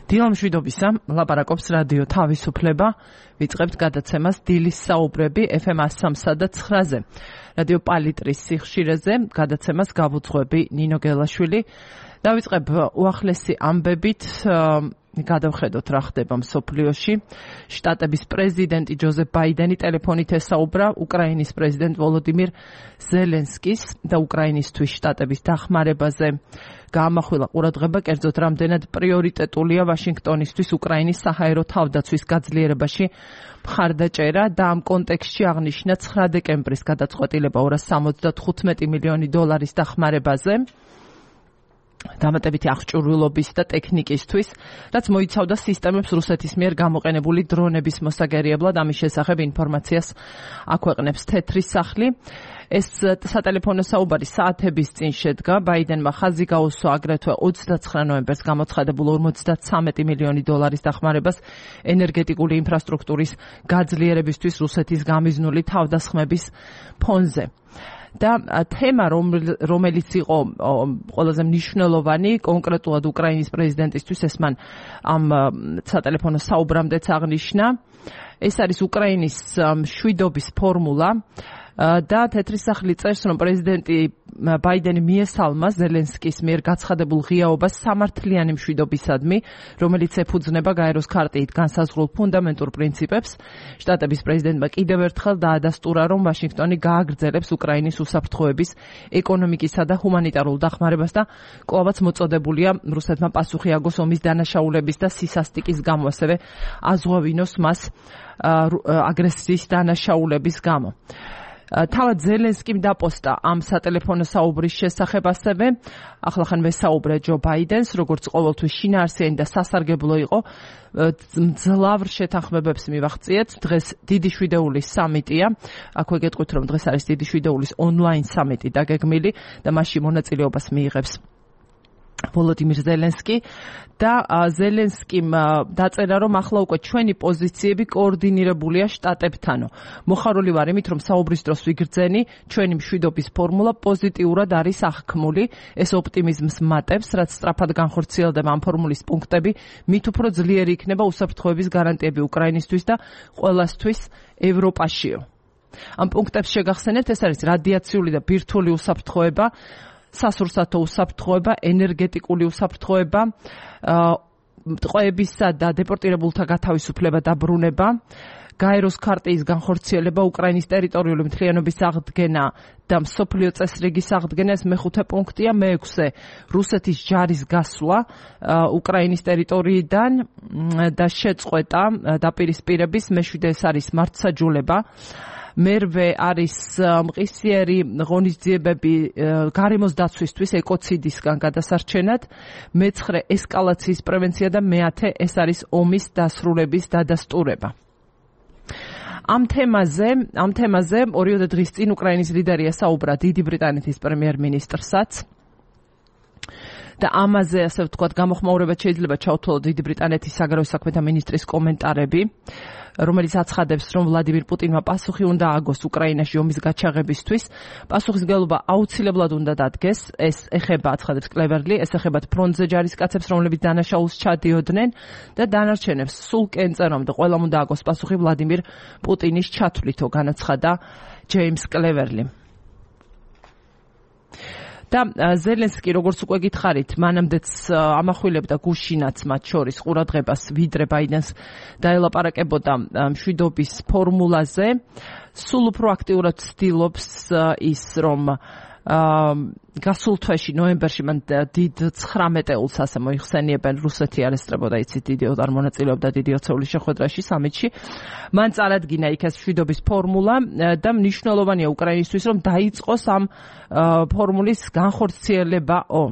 დილა მშვიდობისა, ლაპარაკობს რადიო თავისუფლება, ვიწყებთ გადაცემას დილის საუბრები FM 103 და 9-ზე. რადიო პალიტრის სიხშირეზე გადაცემას გავუძღვები ნინო გელაშვილი. დავიწყებ უახლესი ამბებით, გადავხედოთ რა ხდება მსოფლიოში. შტატების პრეზიდენტი ჯოზეფ ბაიდენი ტელეფონით ესაუბრა უკრაინის პრეზიდენტ ვოლოდიმირ ზელენსკის და უკრაინისთვის შტატების დახმარებაზე. გაამახვილა ყურადღება, კერძოდ რამდენად პრიორიტეტულია ვაშინგტონისთვის უკრაინის საჰაერო თავდაცვის გაძლიერებაში მხარდაჭერა და ამ კონტექსტში აღნიშნა 9 დეკემბრის გადაწყვეტილება 275 მილიონი დოლარის დახმარებაზე. დამატებითი აღჭურვილობის და ტექნიკისთვის, რაც მოიცავდა სისტემებს რუსეთის მიერ გამოყენებული დრონების მოსაგერიებლად. ამის შესახებ ინფორმაციას აქვეყნებს თეთრი სახლი. ეს სატელეფონო საუბარი საათების წინ შედგა. ბაიდენმა ხაზი გაუსვა აგრეთვე 29 ნოემბერს გამოცხადებულ 53 მილიონი დოლარის დახმარებას ენერგეტიკული ინფრასტრუქტურის გაძლიერებისთვის რუსეთის გამიზნული თავდასხმების ფონზე. და თემა, რომელიც იყო ყველაზე მნიშვნელოვანი კონკრეტულად უკრაინის პრეზიდენტისთვის, ეს მან ამ სატელეფონო საუბრამდეც აღნიშნა, ეს არის უკრაინის მშვიდობის ფორმულა და თეთრი სახლი წერს, რომ პრეზიდენტი ბაიდენი მიესალმა ზელენსკის მიერ გაცხადებულ ღიაობას სამართლიანი მშვიდობისადმი, რომელიც ეფუძნება გაეროს ქარტიით განსაზღვრულ ფუნდამენტურ პრინციპებს. შტატების პრეზიდენტმა კიდევ ერთხელ დაადასტურა, რომ ვაშინგტონი გააგრძელებს უკრაინის უსაფრთხოების, ეკონომიკისა და ჰუმანიტარულ დახმარებას და კვლავაც მოწოდებულია რუსეთმა პასუხი აგოს ომის დანაშაულების და სისასტიკის გამო, ასევე აზღვევინოს მას აგრესიის დანაშაულების გამო. თავად ზელენსკიმ დაპოსტა ამ სატელეფონო საუბრის შესახებ ასევე. ახლახან ვესაუბრე ჯო ბაიდენს, როგორც ყოველთვის შინაარსიანი და სასარგებლო იყო. მძლავრ შეთანხმებებს მივაღწიეთ. დღეს დიდი შვიდეულის სამიტია. აქვე გეტყვით, რომ დღეს არის დიდი შვიდეულის ონლაინ სამიტი დაგეგმილი და მასში მონაწილეობას მიიღებს ვოლოდიმირ ზელენსკი და ზელენსკიმ დაწერა, რომ ახლა უკვე ჩვენი პოზიციები კოორდინირებულია შტატებთანო. მოხარული ვარ იმით, რომ საუბრის დროს ვიგრძენი, ჩვენი მშვიდობის ფორმულა პოზიტიურად არის აღქმული. ეს ოპტიმიზმს მატებს, რაც სწრაფად განხორციელდება ამ ფორმულის პუნქტები, მით უფრო ძლიერი იქნება უსაფრთხოების გარანტიები უკრაინისთვის და ყველასთვის ევროპაშიო. ამ პუნქტებს შეგახსენებთ, ეს არის რადიაციული და ბირთვული უსაფრთხოება, სასურსათო უსაფრთხოება, ენერგეტიკული უსაფრთხოება, ტყვეებისა და დეპორტირებულთა გათავისუფლება და ბრუნება, გაეროს ქარტიის განხორციელება, უკრაინის ტერიტორიული მთლიანობის აღდგენა და მსოფლიო წესრიგის აღდგენა. ეს მეხუთე პუნქტია. მეექვსე, რუსეთის ჯარის გასვლა უკრაინის ტერიტორიიდან და შეწყვეტა დაპირისპირების. მეშვიდე, ეს არის მართლმსაჯულება. მერვე არის მყისიერი ღონისძიებები გარემოს დაცვისთვის ეკოციდისგან გადასარჩენად. მეცხრე, ესკალაციის პრევენცია და მეათე, ეს არის ომის დასრულების დადასტურება. ამ თემაზე 2 დღის წინ უკრაინის ლიდერი ესაუბრა დიდი ბრიტანეთის პრემიერ-მინისტრსაც. და ამაზე, ასე ვთქვათ, გამოხმაურებად შეიძლება ჩავთვალოთ დიდი ბრიტანეთის საგარეო საქმეთა მინისტრის კომენტარები, რომელიც აცხადებს, რომ ვლადიმირ პუტინმა პასუხი უნდა აგოს უკრაინაში ომის გაჩაღებისთვის. პასუხისმგებლობა აუცილებლად უნდა დადგეს. ეს ეხება, აცხადებს კლევერლი, ეს ეხება ფრონტზე ჯარისკაცებს, რომლებიც დანაშაულს ჩადიოდნენ და დანარჩენებს სულ კენწერამდე ყველამ უნდა აგოს პასუხი ვლადიმირ პუტინის ჩათვლითო, განაცხადა ჯეიმს კლევერლი. და ზელენსკი, როგორც უკვე გითხარით, მანამდეც ამახვილებდა გუშინაც მათ შორის ყურადღებას, ვიდრე ბაიდენს დაელაპარაკებოდა მშვიდობის ფორმულაზე. სულ უფრო აქტიურად ცდილობს ის, რომ გასულ თვეში, ნოემბერში, მან დიდ 19-ელს ასე მოიხსენიებენ, რუსეთი არესტრებოდა, იცით, არ მონაწილეობდა დიდი ოცეულის შეხვედრაში, სამიტში. მან წარადგინა იქ ეს მშვიდობის ფორმულა და მნიშვნელოვანია უკრაინისთვის, რომ დაიწყოს ამ ფორმულის განხორციელებაო.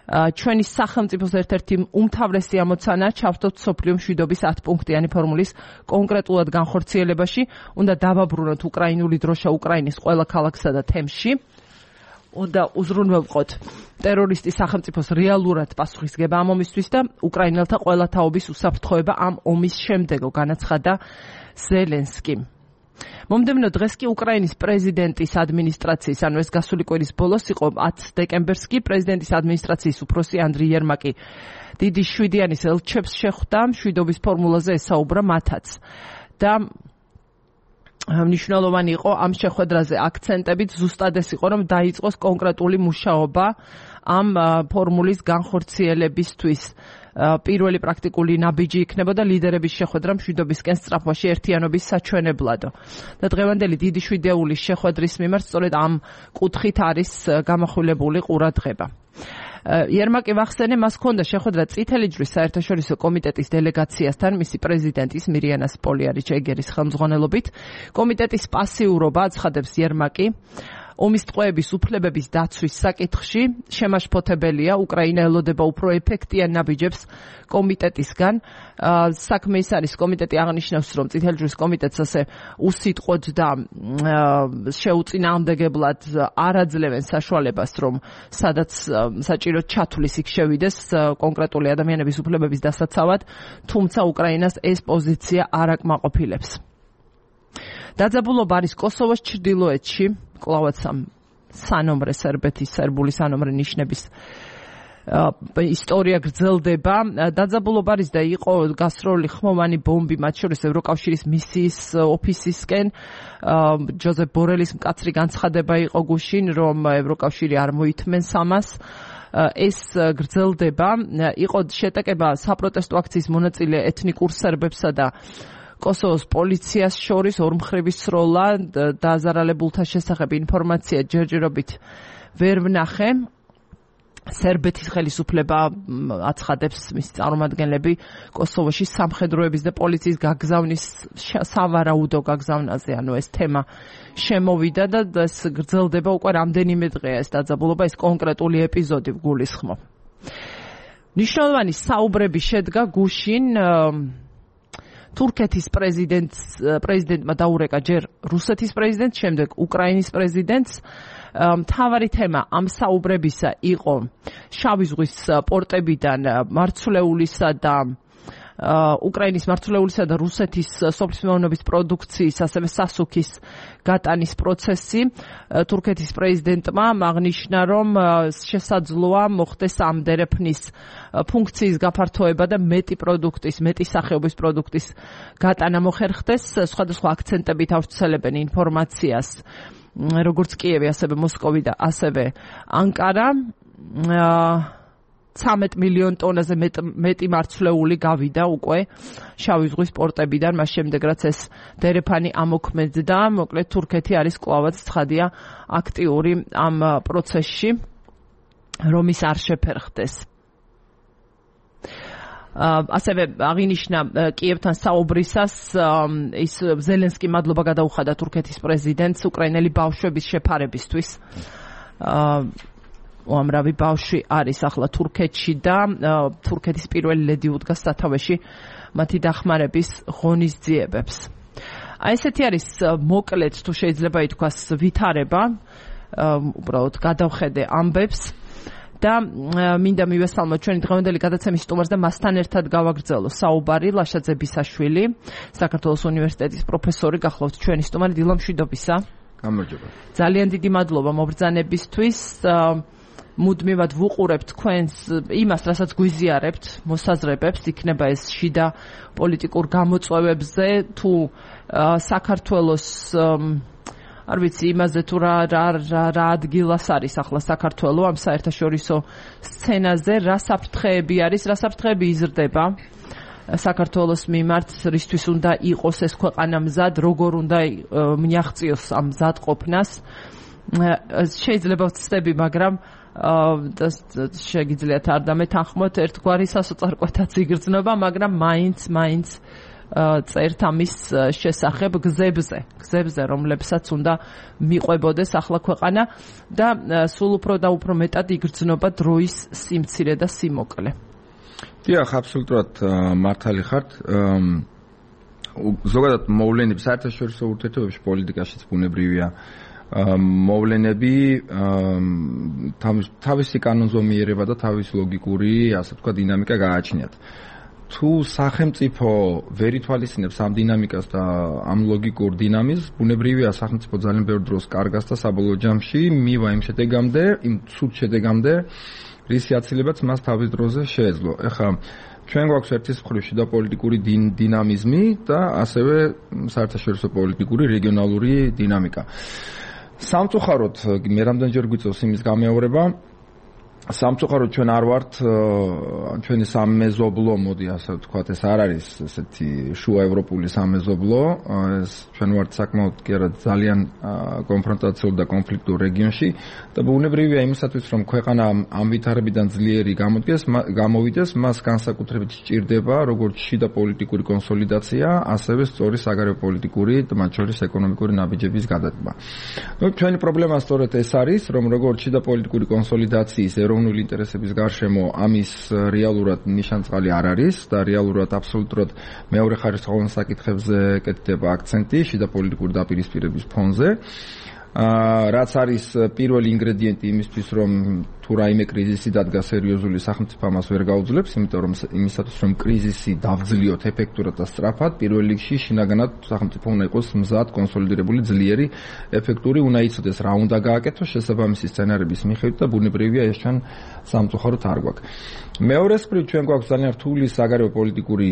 ჩვენი სახელმწიფოს ერთ-ერთი უმთავრესი ამოცანა ჩავთოთ მსოფლიო მშვიდობის 10 პუნქტიანი ფორმულის კონკრეტულად განხორციელებაში. უნდა დავაბრუნოთ უკრაინული დროშა უკრაინის ყველა ქალაქსა და თემში. უნდა უზრუნველყოთ ტერორისტის სახელმწიფოს რეალურად პასუხისგება ამ ომისთვის და უკრაინელთა ყველა თაობის უსაფრთხოება ამ ომის შემდეგო, განაცხადა ზელენსკი. მომდევნო დღეს კი უკრაინის პრეზიდენტის ადმინისტრაციის, ანუ ეს გასული კვირის ბოლოს იყო 10 დეკემბერს კი პრეზიდენტის ადმინისტრაციის უფროსი ანდრიი იერმაკი დიდი შვიდიანის ელჩებს შეხვდა, მშვიდობის ფორმულაზე ესაუბრა მათაც. და მნიშვნელოვანი იყო ამ შეხვედრაზე აქცენტებით ზუსტად ეს იყო, რომ დაიწყოს კონკრეტული მუშაობა ამ ფორმულის განხორციელებისთვის. პირველი პრაქტიკული ნაბიჯი იქნებოდა ლიდერების შეხვედრა მშვიდობისკენ სწრაფვაში ერთიანობის საჩვენებლადო. და დღევანდელი დიდი შვიდეულის შეხვედრის მიმართ სწორედ ამ კუთხით არის გამახვილებული ყურადღება. იერმაკი ვახსენე, მას ჰქონდა შეხვედრა წითელი ჯვრის საერთაშორისო კომიტეტის დელეგაციასთან, მისი პრეზიდენტის მირიანას პოლიარიჩ-ეგერის ხელმძღვანელობით. კომიტეტის პასიურობა აცხადებს იერმაკი, ომის ტყვეების უფლებების დაცვის საკითხში შემაშფოთებელია, უკრაინა ელოდება უფრო ეფექტიან ნაბიჯებს კომიტეტისგან. საქმე ის არის, კომიტეტი აღნიშნავს, რომ წითელი ჯვრის კომიტეტს ასე უსიტყვოდ და შეუწინააღმდეგებლად არ აძლევენ საშუალებას, რომ სადაც საჭიროდ ჩათვლის იქ შევიდეს კონკრეტული ადამიანების უფლებების დასაცავად, თუმცა უკრაინას ეს პოზიცია არ აკმაყოფილებს. დაძაბულობა არის კოსოვოს ჩრდილოეთში, კლავაც სანომრე სერბეთის სერბული სანომრე ნიშნების ისტორია გრძელდება. დაძაბულობა არის და იყო გასროლი ხმოვანი ბომბი, მათ შორის ევროკავშირის მისიის ოფისისკენ. ჯოზეფ ბორელის მკაცრი განცხადება იყო გუშინ, რომ ევროკავშირი არ მოითმენს ამას. ეს გრძელდება. იყო შეტაკება საპროტესტო აქციის მონაწილე ეთნიკურ სერბებსა და კოსოვოს პოლიციას შორის ორმხრივი სროლა დაზარალებულთა შესახებ ინფორმაცია ჯერჯერობით ვერ ვნახე. სერბეთის ხელისუფლება აცხადებს მის წარმომადგენლები კოსოვოში სამხედროების და პოლიციის გაგზავნის სავარაუდო გაგზავნაზე, ანუ ეს თემა შემოვიდა და ეს გრძელდება უკვე რამდენიმე დღეა ეს დაძაბულობა, ეს კონკრეტული ეპიზოდი გულისხმობ. მნიშვნელოვანი საუბრები შედგა გუშინ თურქეთის პრეზიდენტმა დაურეკა ჯერ რუსეთის პრეზიდენტს, შემდეგ უკრაინის პრეზიდენტს. მთავარი თემა ამ საუბრებისა იყო შავი ზღვის პორტებიდან მარცვლეულისა და უკრაინის მარცვლეულისა და რუსეთის სოფლის მეურნეობის პროდუქციის, ასევე სასუქის გატანის პროცესი. თურქეთის პრეზიდენტმა აღნიშნა, რომ შესაძლოა მოხდეს ამ დერეფნის ფუნქციის გაფართოება და მეტი სახეობის პროდუქტის გატანა მოხერხდეს. სხვადასხვა აქცენტებით ავრცელებენ ინფორმაციას, როგორც კიევი, ასევე მოსკოვი და ასევე ანკარა. 13 მილიონ ტონაზე მეტი მარცვლეული გავიდა უკვე შავი ზღვის პორტებიდან, მას შემდეგ რაც ეს დერეფანი ამოქმედდა. მოკლედ თურქეთი არის კლავაც ცხადია აქტიური ამ პროცესში, რომ ის არ შეფერხდეს. ასევე აღინიშნა კიევთან საუბრისას ის ზელენსკი მადლობა გადაუხადა თურქეთის პრეზიდენტს უკრაინელი ბავშვების შეფარებისთვის. უამრავი ბავშვი არის ახლა თურქეთში და თურქეთის პირველი ლედი უდგას სათავეში მათი დახმარების ღონისძიებებს. ესეთი არის მოკლედ, თუ შეიძლება ითქვას, ვითარება, უბრალოდ გადავხედე ამბებს და მინდა მივესალმოთ ჩვენი დღევანდელი გადაცემის სტუმარს და მასთან ერთად გავაგრძელო საუბარი ლაშაძე ბისაშვილი, საქართველოს უნივერსიტეტის პროფესორი, გახლავთ ჩვენი სტუმარი. დილა მშვიდობისა. გამარჯობა. ძალიან დიდი მადლობა მობრძანებისთვის. მუდმივად ვუყურებთ თქვენს იმას, რასაც გვიზიარებთ, მოსაზრებებს, იქნება ეს შიდა პოლიტიკურ გამოწვევებზე, თუ საქართველოს არ ვიცი იმაზე თუ რა ადგილას არის ახლა საქართველო ამ საერთაშორისო სცენაზე, რა საფრთხეები არის, რა საფრთხეები იზრდება საქართველოს მიმართ, რისთვის უნდა იყოს ეს ქვეყანა მზად, როგორ უნდა მიაღწიოს ამ მზადყოფნას. შეიძლება ვცდები, მაგრამ შეგიძლიათ არ დამეთანხმოთ, ერთგვარი სასოწარკვეთაც იგრძნობა, მაგრამ მაინც წერთ ამის შესახებ გზებზე, რომლებსაც უნდა მიყვებოდეს ახლა ქვეყანა და სულ უფრო და უფრო მეტად იგრძნობა დროის სიმცირე და სიმოკლე. დიახ, აბსოლუტურად მართალი ხართ. ზოგადად მოვლენები საერთაშორისო ურთიერთობებში, პოლიტიკაშიც ბუნებრივია მოვლენები თავისი კანონზომიერება და თავის ლოგიკური, ასე ვთქვათ, დინამიკა გააჩნიათ. თუ სახელმწიფო ვერ ითვალისწინებს ამ დინამიკას და ამ ლოგიკურ დინამიზმს, ბუნებრივია სახელმწიფო ძალიან ბევრ დროს კარგას და საბოლოო ჯამში მივა იმ შედეგამდე, იმ ცუდ შედეგამდე, რისი აცილებაც მას თავის დროზე შეეძლო. ეხლა ჩვენ გვაქვს ერთის მხრივ შიდა პოლიტიკური დინამიზმი და ასევე საერთაშორისო პოლიტიკური რეგიონალური დინამიკა. სამწუხაროდ მე რამდენჯერ გვიწევს იმის გამეორება, სამწუხაროდ ჩვენ არ ვართ ჩვენი სამეზობლო, მოდი ასე ვთქვათ, ეს არ არის ესეთი შუა ევროპული სამეზობლო, ეს ჩვენ ვართ საკმაოდ კი არა ძალიან კონფრონტაციულ და კონფლიქტურ რეგიონში და ბუნებრივია იმისათვის რომ ქვეყანა ამ ვითარებიდან ძლიერი გამოვიდეს, მას განსაკუთრებით სჭირდება როგორც შიდა პოლიტიკური კონსოლიდაცია, ასევე სწორი საგარეო პოლიტიკური და მათ შორის ეკონომიკური ნაბიჯების გადადგმა. ჩვენი პრობლემა სწორედ ეს არის, რომ როგორც შიდა პოლიტიკური კონსოლიდაციის ეროვნული ინტერესების გარშემო ამის რეალურად ნიშანწყალი არ არის და რეალურად აბსოლუტურად მეორე ხარისხოვან საკითხებზე კეთდება აქცენტი შიდა პოლიტიკური დაპირისპირების ფონზე. რაც არის პირველი ინგრედიენტი იმისთვის, რომ თუ რაიმე კრიზისი დადგა სერიოზული, სახელმწიფო ამას ვერ გაუძლებს, იმიტომ რომ იმისათვის რომ კრიზისი დავძლიოთ ეფექტურად და სწრაფად, პირველ რიგში შინაგანად სახელმწიფო უნდა იყოს მზად, კონსოლიდირებული, ძლიერი, ეფექტური, უნდა იცოდეს რა უნდა გააკეთოს შესაბამისი სცენარების მიხედვით და ბუნებრივია ეს ჩვენ სამწუხაროდ არ გვაქვს. მეორე მხრივ ჩვენ გვაქვს ძალიან რთული საგარეო პოლიტიკური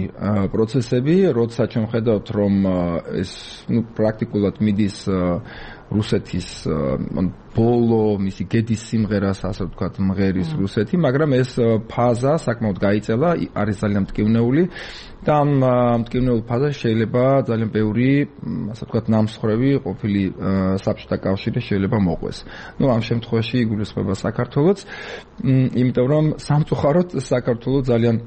პროცესები, როცა ჩვენ ხედავთ რომ ეს პრაქტიკულად მიდის რუსეთის ბოლო მისი გედის სიმღერას, ასე ვთქვათ, მღერის რუსეთი, მაგრამ ეს ფაზა საკმაოდ გაიწელა, არის ძალიან მტკივნეული და ამ მტკივნეულ ფაზაში შეიძლება ძალიან ბევრი, ასე ვთქვათ, ნამსხვრევი ყოფილი საბჭოთა კავშირი შეიძლება მოყვეს. ამ შემთხვევაში იგულისხმება საქართველოც, იმიტომ რომ სამწუხაროდ საქართველოს ძალიან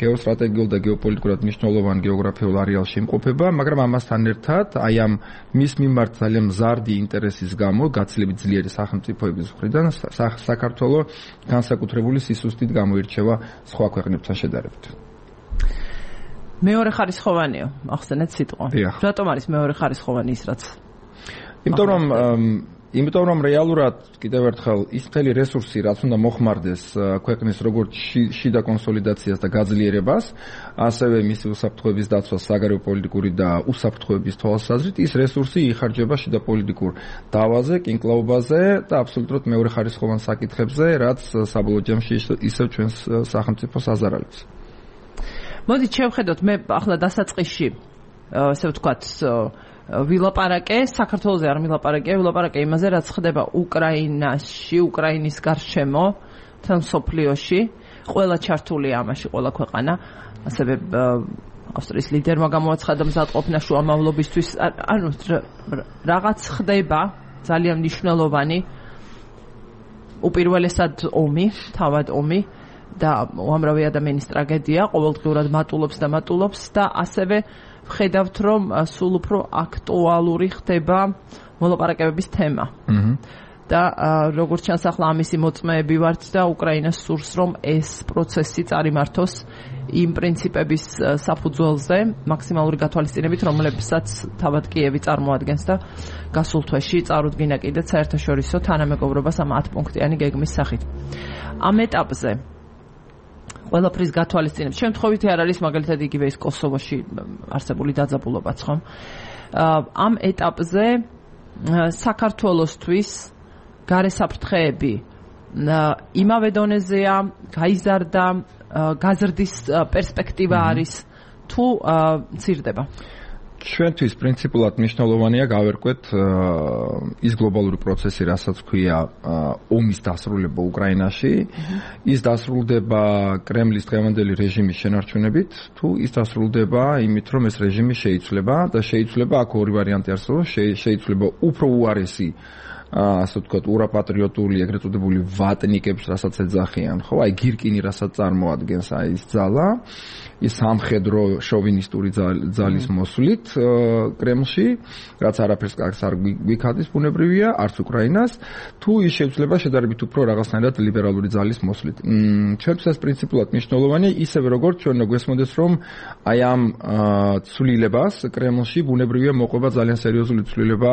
გეოსტრატეგიულ და გეოპოლიტიკურად მნიშვნელოვან გეოგრაფიულ არეალში იმყოფება, მაგრამ ამასთან ერთად აი ამ მის მიმართ ძალიან მზარდი ინტერესის გამო, გაცილებით ძლიერი სახელმწიფოების მხრიდან საქართველოს განსაკუთრებული სისუსტით გამოირჩევა სხვა ქვეყნებთან შედარებით. მეორე ხარისხოვანიო, ახსენეთ სიტყვა. რატომ არის მეორე ხარისხოვანი ის რაც? იმიტომ რომ რეალურად კიდევ ერთხელ ის მთელი რესურსი, რაც უნდა მოხმარდეს ქვეყნის როგორც შიდა კონსოლიდაციას და გაძლიერებას, ასევე მისი უსაფრთხოების დაცვას საგარეო პოლიტიკური და უსაფრთხოების თვალსაზრისით, ის რესურსი იხარჯება შიდა პოლიტიკურ დავაზე, კინკლაობაზე და აბსოლუტურად მეორე ხარისხოვან საკითხებზე, რაც საბოლოო ჯამში ისევ ჩვენს სახელმწიფოს აზარალებს. მოდით შევხედოთ, მე ახლა დასაწყისში ასე ვთქვათ ვილაპარაკე, საქართველოზე არ ვილაპარაკე იმაზე, რაც ხდება უკრაინაში, უკრაინის გარშემო, თან მსოფლიოში, ყველა ჩართულია ამაში, ყველა ქვეყანა, ასევე ავსტრიის ლიდერმა გამოაცხადა მზადყოფნა შუამავლობისთვის, ანუ რაღაც ხდება ძალიან მნიშვნელოვანი, უპირველესად ომი, თავად ომი და უამრავი ადამიანის ტრაგედია, ყოველდღიურად მატულობს და ასევე ხედავთ, რომ სულ უფრო აქტუალური ხდება მოლაპარაკებების თემა. და როგორც ჩანს, ახლა ამისი მოწმეები ვართ და უკრაინას სურს, რომ ეს პროცესი წარიმართოს იმ პრინციპების საფუძველზე, მაქსიმალური გათვალისწინებით, რომლებსაც თავად კიევი წარმოადგენს და გასულ თვეში წარუდგინა კიდეც საერთაშორისო თანამეგობრობას ამ 10 პუნქტიანი გეგმის სახით. ამ ეტაპზე ყველაფრის გათვალისწინებს. შემთხვევითი არ არის მაგალითად იგივე ის კოსოვოში არსებული დაძაბულობაც, ხომ? ამ ეტაპზე საქართველოსთვის გარესაფრთხეები იმავე დონეზეა, გაიზარდა, გაზრდის პერსპექტივა არის თუ მცირდება? ჩვენთვის პრინციპულად მნიშვნელოვანია გავერკვეთ ის გლობალური პროცესი, რასაც ქვია ომის დასრულება უკრაინაში, ის დასრულდება კრემლის დღევანდელი რეჟიმის შენარჩუნებით, თუ ის დასრულდება იმით, რომ ეს რეჟიმი შეიცვლება და შეიცვლება, აქ ორი ვარიანტი არსებობს, შეიცვლება უფრო უარესი ასე ვთქვათ, ურაპატრიოტული, ეგრეთ წოდებული ვატნიკებს, რასაც ეძახიან, ხო? აი გირკინი, რასაც წარმოადგენს აი ეს ძალა, ის სამხედრო შოვინისტური ძალის მოსვლით კრემლში, რაც არაფერს კარგს არ გვიქადის ბუნებრივია, არც უკრაინას, თუ ის შეიცვლება შედარებით უფრო რაღაცნაირად ლიბერალური ძალის მოსვლით. ჩვენთვის ეს პრინციპულად მნიშვნელოვანია, ისევე როგორც ჩვენ გვესმოდეს, რომ აი ამ ცვლილებას კრემლში ბუნებრივია მოყვება ძალიან სერიოზული ცვლილება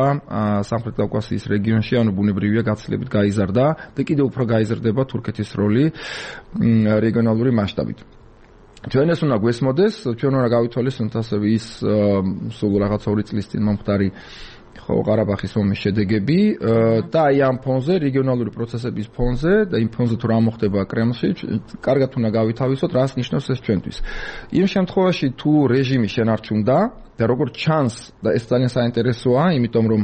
სამხრეთ კავკასიის რეგიონში, ანუ ბუნებრივია გაცილებით გაიზარდა და კიდევ უფრო გაიზარდება თურქეთის როლი რეგიონალური მასშტაბით. ჩვენ ეს უნდა გვესმოდეს, ჩვენ უნდა გავითვალისწინოთ ასევე ის სულ რაღაცა 2 წლის წინ მომხდარი ყარაბაღის ომის შედეგები და აი ამ ფონზე, რეგიონალური პროცესების ფონზე და იმ ფონზე თუ რა მოხდება კრემლში, კარგად უნდა გავითავისოთ, რას ნიშნავს ეს ჩვენთვის. იმ შემთხვევაში თუ რეჟიმი შენარჩუნდა და როგორც ჩანს და ეს ძალიან საინტერესოა, იმიტომ რომ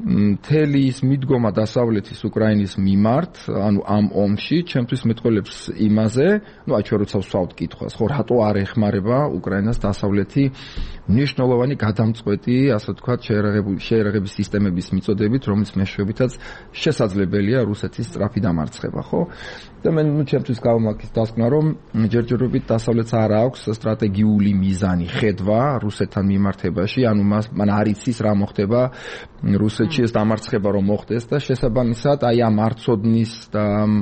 მთელი ის მიდგომა დასავლეთის უკრაინის მიმართ, ანუ ამ ომში, ჩემთვის მეტყველებს იმაზე, აი ჩვენ როცა ვსვავთ კითხვას, ხო, რატო არ ეხმარება უკრაინას დასავლეთი მნიშვნელოვანი გადამწყვეტი, ასე ვთქვათ, შეერაღების სისტემების მიწოდებით, რომელიც მეშვეობითაც შესაძლებელია რუსეთის სწრაფი დამარცხება, ხო? და მე ჩემთვის გავმაქის დასკვნა, რომ ჯერჯერობით დასავლეთს არ აქვს სტრატეგიული მიზანი, ხედვა რუსეთთან მიმართებაში, ანუ მან არ იცის რა მოხდება რუსეთში ეს დამარცხება რომ მოხდეს და შესაბამისად აი ამ არცოდნის და ამ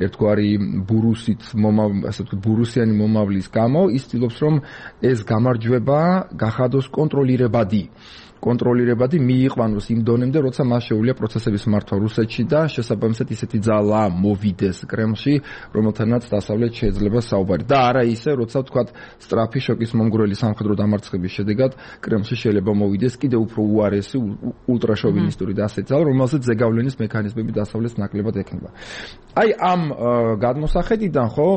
ერთგვარი ბურუსით ასე ვთქვათ ბურუსიანი მომავლის გამო ის ცდილობს რომ ეს გამარჯვება გახადოს კონტროლირებადი მიიყვანოს იმ დონემდე, როცა მას შეუძლია პროცესების მართვა რუსეთში და შესაბამისად ისეთი ძალა მოვიდეს კრემლში, რომელთანაც დასავლეთ შეიძლება საუბარი. და არა ისე, როცა ვთქვათ, სწრაფი შოკის მომგვრელი სამხედრო დამარცხების შედეგად კრემლში შეიძლება მოვიდეს კიდევ უფრო უარესი, ულტრაშოვინისტური და ასეთი ძალა, რომელსაც ზეგავლენის მექანიზმები დასავლეთს ნაკლებად ექნება. აი ამ გადმოსახედიდან ხო,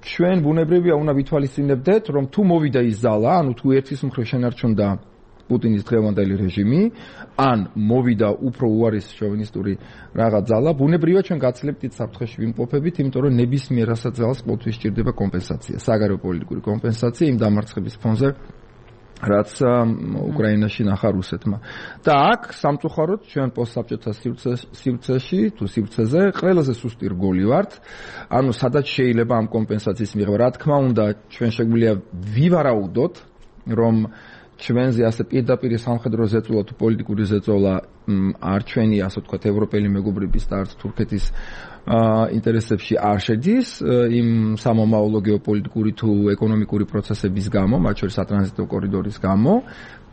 ჩვენ ბუნებრივია უნდა ვითვალისწინებდეთ, რომ თუ მოვიდა ის ძალა, ანუ თუ ერთის მხრივ შენარჩუნდა პუტინის დღევანდელი რეჟიმი, ან მოვიდა უფრო უარესი შოვინისტური რაღაც ძალა, ბუნებრივია ჩვენ გაცლებთ ის საფრთხეში ვიმყოფებით, იმიტომ რომ ნებისმიერ ასეთ ძალას ყოველთვის სჭირდება კომპენსაცია, საგარეო პოლიტიკური კომპენსაცია იმ დამარცხების ფონზე, რაც უკრაინაში ნახა რუსეთმა. და აქ სამწუხაროდ ჩვენ პოსტსაბჭოთა სივრცეზე ყველაზე სუსტი რგოლი ვართ, ანუ სადაც შეიძლება ამ კომპენსაციის მიღება. რა თქმა უნდა, ჩვენ შეგვიძლია ვივარაუდოთ, რომ ჩვენზე ასე პირდაპირ სამხედრო ზეწოლა თუ პოლიტიკური ზეწოლა არ ჩვენი ასე ვთქვათ ევროპელი მეგობრების და არც თურქეთის ინტერესებში არ შედის იმ სამომავლო გეოპოლიტიკური თუ ეკონომიკური პროცესების გამო, მათ შორის სატრანზიტო კორიდორის გამო,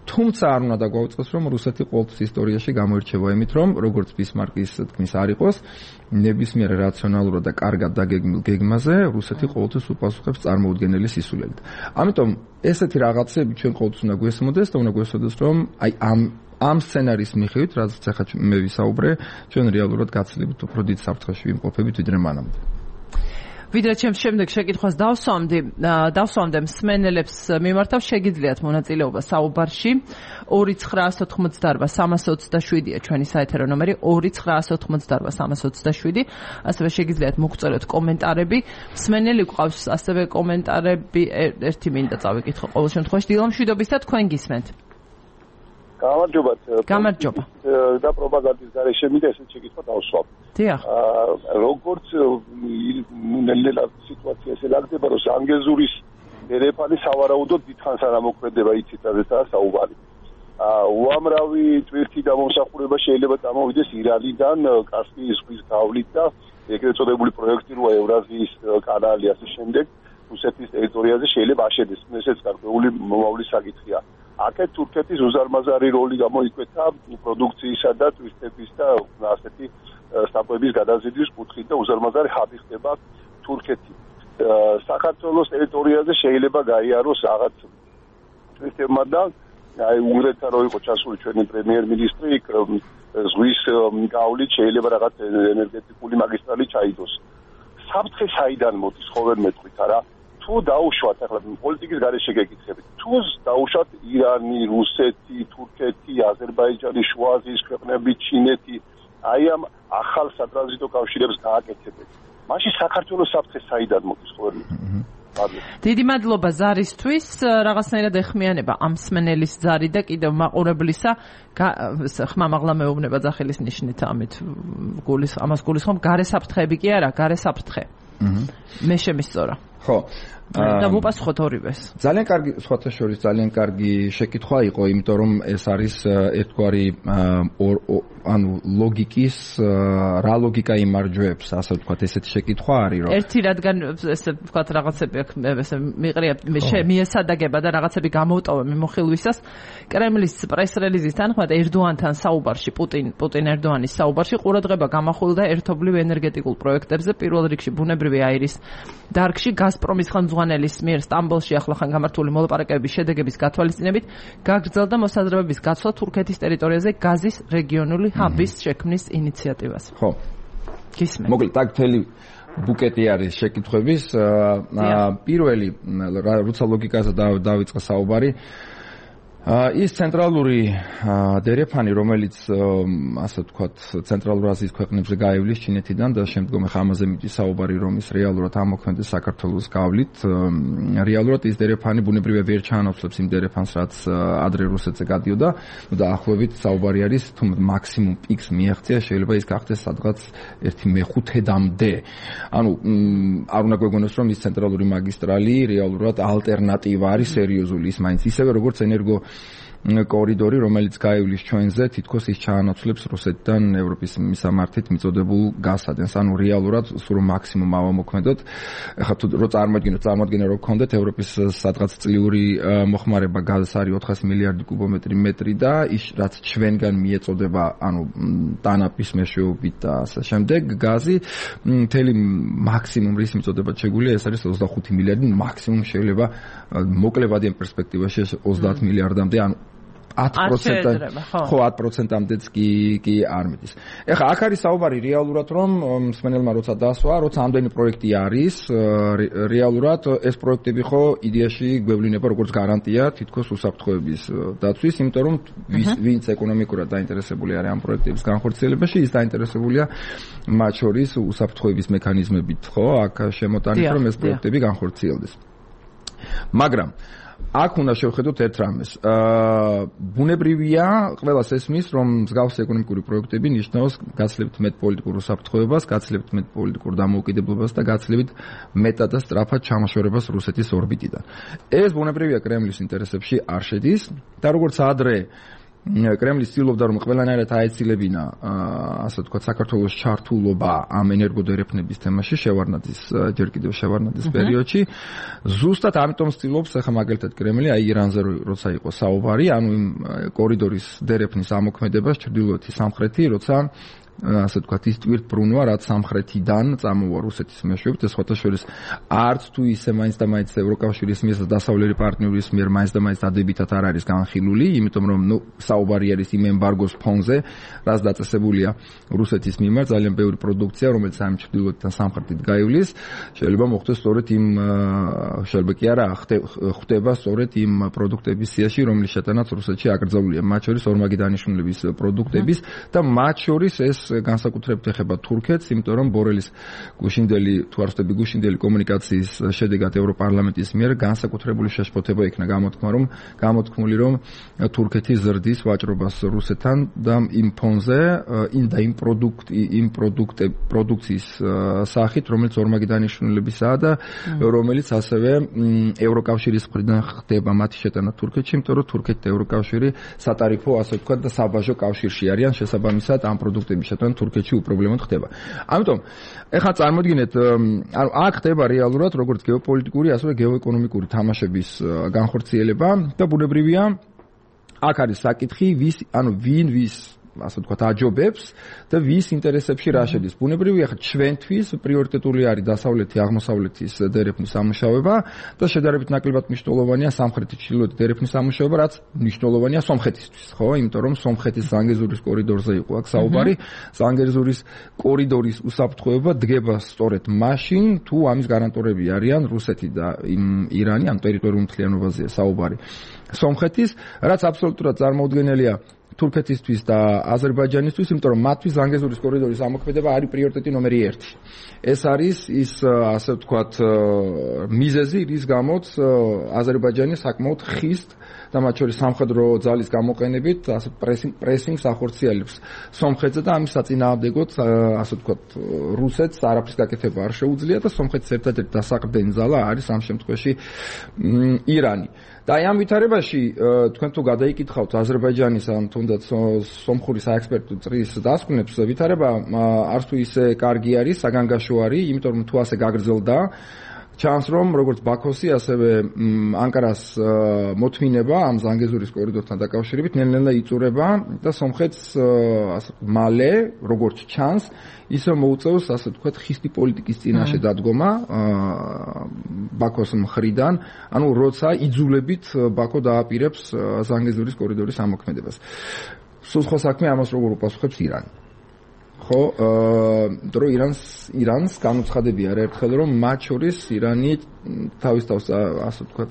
თუმცა არ უნდა დაგვაუწყოს, რომ რუსეთი ყოველთვის ისტორიაში გამოირჩევა იმით, რომ როგორც ბისმარკის თქმის არ იყოს, ნებისმიერ რაციონალურად და კარგად დაგეგმილ გეგმაზე რუსეთი ყოველთვის უპასუხებს წარმოუდგენელი სისულელით. ამიტომ ესეთი რაღაცები ჩვენ ყოველთვის უნდა გვესმოდეს და უნდა გვესმოდეს, რომ აი ამ სცენარის მიხედვით, რაც ახლა მე ვისაუბრე, ჩვენ რეალურად გაცილებით უფრო დიდ საფრთხეში ვიმყოფებით, ვიდრე მანამდე. ვიდრე ჩემს შემდეგ შეკითხვას დავსვამდე მსმენელებს მიმართავ შეგიძლიათ მონაწილეობა საუბარში 2988327-ია ჩვენი საეთერო ნომერი 2988327 ასევე შეგიძლიათ მოგწეროთ კომენტარები მსმენელი გვყავს ასევე კომენტარები ერთი მინდა წავიკითხო ყოველ შემთხვევაში დილომშვიდობის და თქვენ გისმენთ გამარჯობა და პროპაგანდის გარეშე მინდა ესეთ შეკითხვა დავსვამ. დიახ. როგორც ნელ-ნელა სიტუაცია ელაგდება, რომ ანგეზურის ერეფანი სავარაუდოდ დიდხანს არ ამოქმედება იცით რაზეა საუბარი. უამრავი ტვირთი დამომსახურება შეიძლება წამოვიდეს ირანიდან, კასპიის ზღვის გავლით და ეგრეთ წოდებული პროექტი როა ევრაზიის კანალი ასე შემდეგ რუსეთის ტერიტორიაზე შეიძლება აშენდეს. ესეც გარკვეული მომავლის საკითხია. აქეთ თურქეთის უზარმაზარი როლი გამოიკვეთა პროდუქციისა და ტვირთების და ასეთი სტაპების გადაზიდვის კუთხით და უზარმაზარი ჰაბი ხდება თურქეთი. საქართველოს ტერიტორიაზე შეიძლება გაიაროს რაღაც ტვირთებმა და აი უნგრეთთან რო იყო ჩასული ჩვენი პრემიერ-მინისტრი ზღვის გავლით შეიძლება რაღაც ენერგეტიკული მაგისტრალი ჩაიდოს. საფრთხე საიდან მოდის ხო ვერ მეტყვით არა? თუ დაუშვათ ახლა პოლიტიკის გარეშე გეკითხებით თუ დაუშვათ ირანი, რუსეთი, თურქეთი, აზერბაიჯანი, შუა აზიის ქვეყნები, ჩინეთი აი ამ ახალ სატრანზიტო კავშირებს გააკეთებენ. მაშინ საქართველოს საფრთხე საიდან მოდის ხო ვერ დიდი მადლობა ზარისთვის რაღაცნაირად ეხმიანება ამ მსმენელის ზარი და კიდევ მაყურებლისა ხმამაღლა მეუბნება ძახილის ნიშნით ამით ამას გულისხმობ გარე საფრთხეები კი არა გარე საფრთხე მე შემისწორა ხო და მოპასუხოთ ორივეს. ძალიან კარგი სხვათა შორის ძალიან კარგი შეკითხვა იყო, იმიტომ რომ ეს არის ერთგვარი ანუ ლოგიკის რა ლოგიკა იმარჯვებს, ასე ვთქვათ, ესეთი შეკითხვა არის, რომ ერთი რადგან ესე ვთქვათ რაღაცები აქ ესე მიყრია მიესადაგება და რაღაცები გამოვტოვე მიმოხილვისას კრემლის პრეს-რელიზის თანახმად ერდოანთან საუბარში პუტინ ერდოანის საუბარში ყურადღება გამახვილდა ერთობლივ ენერგეტიკულ პროექტებზე პირველ რიგში ბუნებრივი აირის დარგში გაზპრომის ხელმძღვანელის მიერ სტამბოლში ახლახან გამართული მოლაპარაკებების შედეგების გათვალისწინებით გაგრძელდა მოსაზრებების გაცვლა თურქეთის ტერიტორიაზე გაზის რეგიონული ჰაბის შექმნის ინიციატივას. ხო. გისმენთ. მოკლედ აქ მთელი ბუკეტი არის შეკითხვების. პირველი, როცა ლოგიკაზე დავიწყე საუბარი, ის ცენტრალური დერეფანი, რომელიც ასე ვთქვათ, ცენტრალურ აზიის ქვეყნებზე გაივლის ჩინეთიდან და შემდგომ ამაზე მიწის საუბარი, რომ ის რეალურად ამოქმედდეს საქართველოს გავლით. რეალურად ის დერეფანი ბუნებრივია ვერ ჩაანაცვლებს იმ დერეფანს, რაც ადრე რუსეთზე გადიოდა. და ახლობით საუბარი არის, თუ მაქსიმუმ პიკს მიაღწია, შეიძლება ის გახდეს სადღაც 1/5-მდე. ანუ არ უნდა გვეგონოს, რომ ის ცენტრალური მაგისტრალი რეალურად ალტერნატივა არის სერიოზული, ის მაინც ისევე როგორც ენერგო კორიდორი, რომელიც გაივლის ჩვენზე, თითქოს ის ჩაანაცვლებს რუსეთიდან ევროპის მისამართით მიწოდებულ გასადენს. ანუ რეალურად სულ მაქსიმუმ ავამოქმედოთ. ეხლა თუ რო წარმოადგენა რომ გქონდეთ ევროპის სადღაც წლიური მოხმარება გაზს არის 400 მილიარდი კუბომეტრი მეტრი და ის რაც ჩვენგან მიეწოდება, ანუ ტანაპის მეშვეობით და ასე შემდეგ, გაზი მთელი მაქსიმუმ რის მიწოდებად შეგვიძლია, ეს არის 25 მილიარდი, მაქსიმუმ შეიძლება მოკლევადიან პერსპექტივაში 30 მილიარდამდე, ანუ 10%-ამდე, ხო 10%-ამდეც კი არ მიდის. ეხლა აქ არის საუბარი რეალურად, რომ მსმენელმა როცა დასვა, როცა ამდენი პროექტი არის, რეალურად ეს პროექტები ხო იდეაში გვევლინება როგორც გარანტია თითქოს უსაფრთხოების დაცვის, იმიტომ რომ ვინც ეკონომიკურად დაინტერესებული არის ამ პროექტების განხორციელებაში, ის დაინტერესებულია მათ შორის უსაფრთხოების მექანიზმებით, ხო, აქ შემოტანით, რომ ეს პროექტები განხორციელდეს. მაგრამ აქ უნდა შევხედოთ ერთ რამეს. ბუნებრივია, ყველას ესმის, რომ მსგავსი ეკონომიკური პროექტები ნიშნავს გაცილებით მეტ პოლიტიკურ უსაფრთხოებას, გაცილებით მეტ პოლიტიკურ დამოუკიდებლობას და გაცილებით მეტად და სწრაფად ჩამოშორებას რუსეთის ორბიტიდან. ეს ბუნებრივია კრემლის ინტერესებში არ შედის და როგორც ადრე კრემლი ცდილობდა რომ ყველანაირად აეცილებინა ასე ვთქვათ საქართველოს ჩართულობა ამ ენერგოდერეფნების თემაში ჯერ კიდევ შევარდნაძის პერიოდში ზუსტად ამიტომ ცდილობს ახლა მაგალითად კრემლი აი ირანზე როცა იყო საუბარი ანუ იმ კორიდორის დერეფნის ამოქმედებას ჩრდილოეთი სამხრეთი როცა ასე ვთქვათ ის ტვირთბრუნვა რაც სამხრეთიდან წამოვა რუსეთის მეშვეობით ეს ხოთაშორის არც თუ ისე მაინც და მაინც ევროკავშირის მიერ და დასავლელი პარტნიორის მიერ მაინც და მაინც დადებითად არ არის განხილული იმიტომ რომ საუბარი არის იმ ემბარგოს ფონზე რაც დაწესებულია რუსეთის მიმართ ძალიან ბევრი პროდუქცია რომელიც ამ ჩრდილოეთიდან სამხრეთით გაივლის შეიძლება მოხდეს სწორედ იმ შეიძლება კი არა ხდება სწორედ იმ პროდუქტების სიაში რომლის შეტანაც რუსეთში აკრძალულია მათ შორის ორმაგი დანიშნულების პროდუქტების და მათ შორის ეს განსაკუთრებით ეხება თურქეთს, იმიტომ რომ ბორელის გუშინდელი თუ არ ვთქვი გუშინდელი კომუნიკაციის შედეგად ევროპარლამენტის მიერ განსაკუთრებული შეშფოთება იქნა გამოთქმული რომ თურქეთი ზრდის ვაჭრობას რუსეთთან და იმ ფონზე იმ პროდუქციის სახით, რომელიც ორმაგი დანიშნულებისაა და რომელიც ასევე ევროკავშირის მხრიდან ხდება მათი შეტანა თურქეთში, იმიტომ რომ თურქეთი და ევროკავშირი სატარიფო ასე ვთქვათ და საბაჟო კავშირში არიან შესაბამისად ამ პროდუქტების შეტანა თურქეთში უპრობლემოდ ხდება. ამიტომ ეხლა წარმოიდგინეთ, ანუ აქ ხდება რეალურად როგორც გეოპოლიტიკური, ასევე გეოეკონომიკური თამაშების განხორციელება და ბუნებრივია აქ არის საკითხი, ვინ ვის ასე ვთქვათ აჯობებს და ვის ინტერესებში რა შედის. ბუნებრივია ხა ჩვენთვის პრიორიტეტული არის დასავლეთი აღმოსავლეთის დერეფნის ამუშავება და შედარებით ნაკლებად მნიშვნელოვანია სამხრეთი ჩრდილოეთი დერეფნის ამუშავება, რაც მნიშვნელოვანია სომხეთისთვის, ხო? იმიტომ რომ სომხეთის ზანგეზურის კორიდორზე იყო აქ საუბარი. ზანგეზურის კორიდორის უსაფრთხოება დგება სწორედ მაშინ, თუ ამის გარანტორები არიან რუსეთი და ირანი, ამ ტერიტორიულ მთლიანობაზეა საუბარი. სომხეთის, რაც აბსოლუტურად წარმოუდგენელია თურქეთისთვის და აზერბაიჯანისთვის, იმიტომ რომ მათთვის ზანგეზურის კორიდორის ამოქმედება არის პრიორიტეტი ნომერი 1. ეს არის ის ასე ვთქვათ მიზეზი, რის გამოც აზერბაიჯანი საკმაოდ ხის და მათ შორის სამხედრო ძალის გამოყენებით ასე პრესინგს ახორციელებს სომხეთზე და ამის საწინააღმდეგოდ ასე ვთქვათ რუსეთს არაფრის გაკეთება არ შეუძლია და სომხეთის ერთადერთი დასაყრდენი ძალა არის ამ შემთხვევაში ირანი. და ამ ვითარებაში თქვენ თუ გადაიკითხავთ აზერბაიჯანის ან თუნდაც სომხური საექსპერტო წრის დასკვნებს ვითარება არც თუ ისე კარგი არის, საგანგაშო არის, იმიტომ რომ თუ ასე გაგრძელდა ჩანს რომ როგორც ბაქოსი, ასევე ანკარას მოთმინება ამ ზანგეზურის კორიდორთან დაკავშირებით ნელ-ნელა იწურება და სომხეთს მალე, როგორც ჩანს, ისე მოუწევს, ასე ვთქვათ, ხისტი პოლიტიკის წინაშე დადგომა ბაქოს მხრიდან, ანუ როცა იძულებით ბაქო დააპირებს ზანგეზურის კორიდორის ამოქმედებას. სულ სხვა საქმე ამას როგორ უპასუხებს ირანი. ხო, დრო ირანს განუცხადებია ერთხელ რომ მათ შორის ირანი თავის თავს ასე ვთქვათ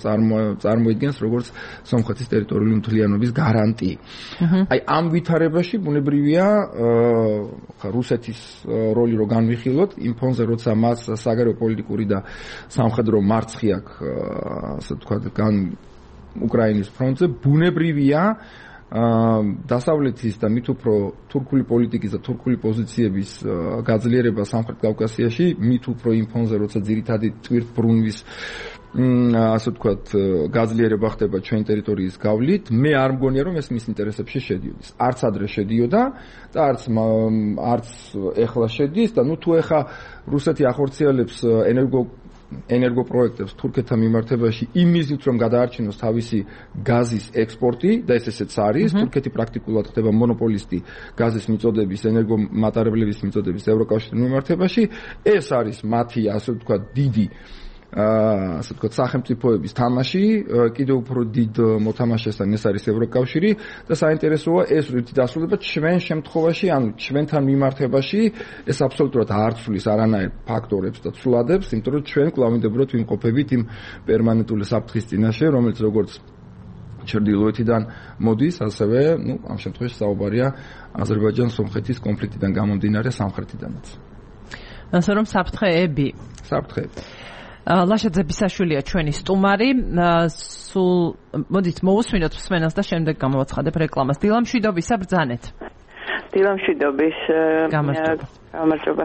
წარმოიდგენს როგორც სომხეთის ტერიტორიული მთლიანობის გარანტი. აი ამ ვითარებაში ბუნებრივია რუსეთის როლი რო განვიხილოთ იმ ფონზე როცა მას საგარეო პოლიტიკური და სამხედრო მარცხი აქვს ასე ვთქვათ უკრაინის ფრონტზე ბუნებრივია დასავლეთის და მით უფრო თურქული პოლიტიკის და თურქული პოზიციების გაძლიერება სამხრეთ კავკასიაში მით უფრო იმ ფონზე როცა ძირითადი ტვირთბრუნვის ასე ვთქვათ გაძლიერება ხდება ჩვენ ტერიტორიის გავლით მე არ მგონია რომ ეს მის ინტერესებში შედიოდეს არც ადრე შედიოდა და არც ეხლა შედის და ნუ თუ ეხა რუსეთი ახორციელებს ენერგოპროექტებს თურქეთთან მიმართებაში იმისით რომ გადაარჩინოს თავისი გაზის ექსპორტი და ესეც არის თურქეთი პრაქტიკულად ხდება მონოპოლისტი გაზის მიწოდების ენერგომატარებლების მიწოდების ევროკავშირთან მიმართებაში ეს არის მათი ასე ვთქვათ დიდი ასე ვთქვათ სახელმწიფოების თამაში კიდევ უფრო დიდ მოთამაშესთან ეს არის ევროკავშირი და საინტერესოა ეს რითი დასრულდება ჩვენ შემთხვევაში ანუ ჩვენთან მიმართებაში ეს აბსოლუტურად არ ცვლის არანაირ ფაქტორებს და ცვლადებს იმიტომ რომ ჩვენ კვლავ მინდებოდათ ვიმყოფებით იმ პერმანენტული საფრთხის წინაშე რომელიც როგორც ჩრდილოეთიდან მოდის ასევე ნუ ამ შემთხვევაში საუბარია აზერბაიჯან-სომხეთის კონფლიქტიდან გამომდინარე სამხრეთიდანაც ასე რომ საფრთხეები ლაშაძე ბისაშვილია ჩვენი სტუმარი. სულ მოდით მოусმინოთ მსმენელს და შემდეგ გამოვაცხადებ რეკლამას. დილამშვიდობისა ბრძანეთ. დილამშვიდობის გამარჯობა.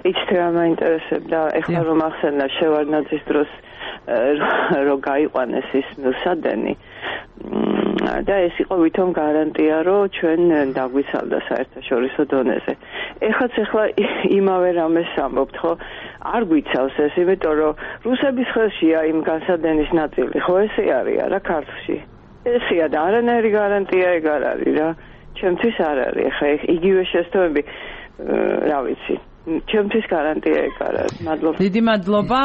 იცით რა მაინტერესებდა ეხლა რომ ახსენა შევარდნაძის დროს რომ გაიყვანეს ის მილსადენი და ეს იყო ვითომ გარანტია რომ ჩვენ დაგვიცალდა საერთაშორისო დონეზე. ეხლა იმავე რამეს ამბობთ ხო? არ გვიცავს ეს, იმიტომ რომ რუსების ხელშია იმ განსადენის ნაწილი, ხო ესე არის რა ქართლში. ესეა და არანაირი გარანტია ეგ არ არის რა. ჩემთვის არ არის. ხა იგივე შეცდომები რა ვიცი. ჩემთვის გარანტია ეგ არ არის. მადლობა. დიდი მადლობა.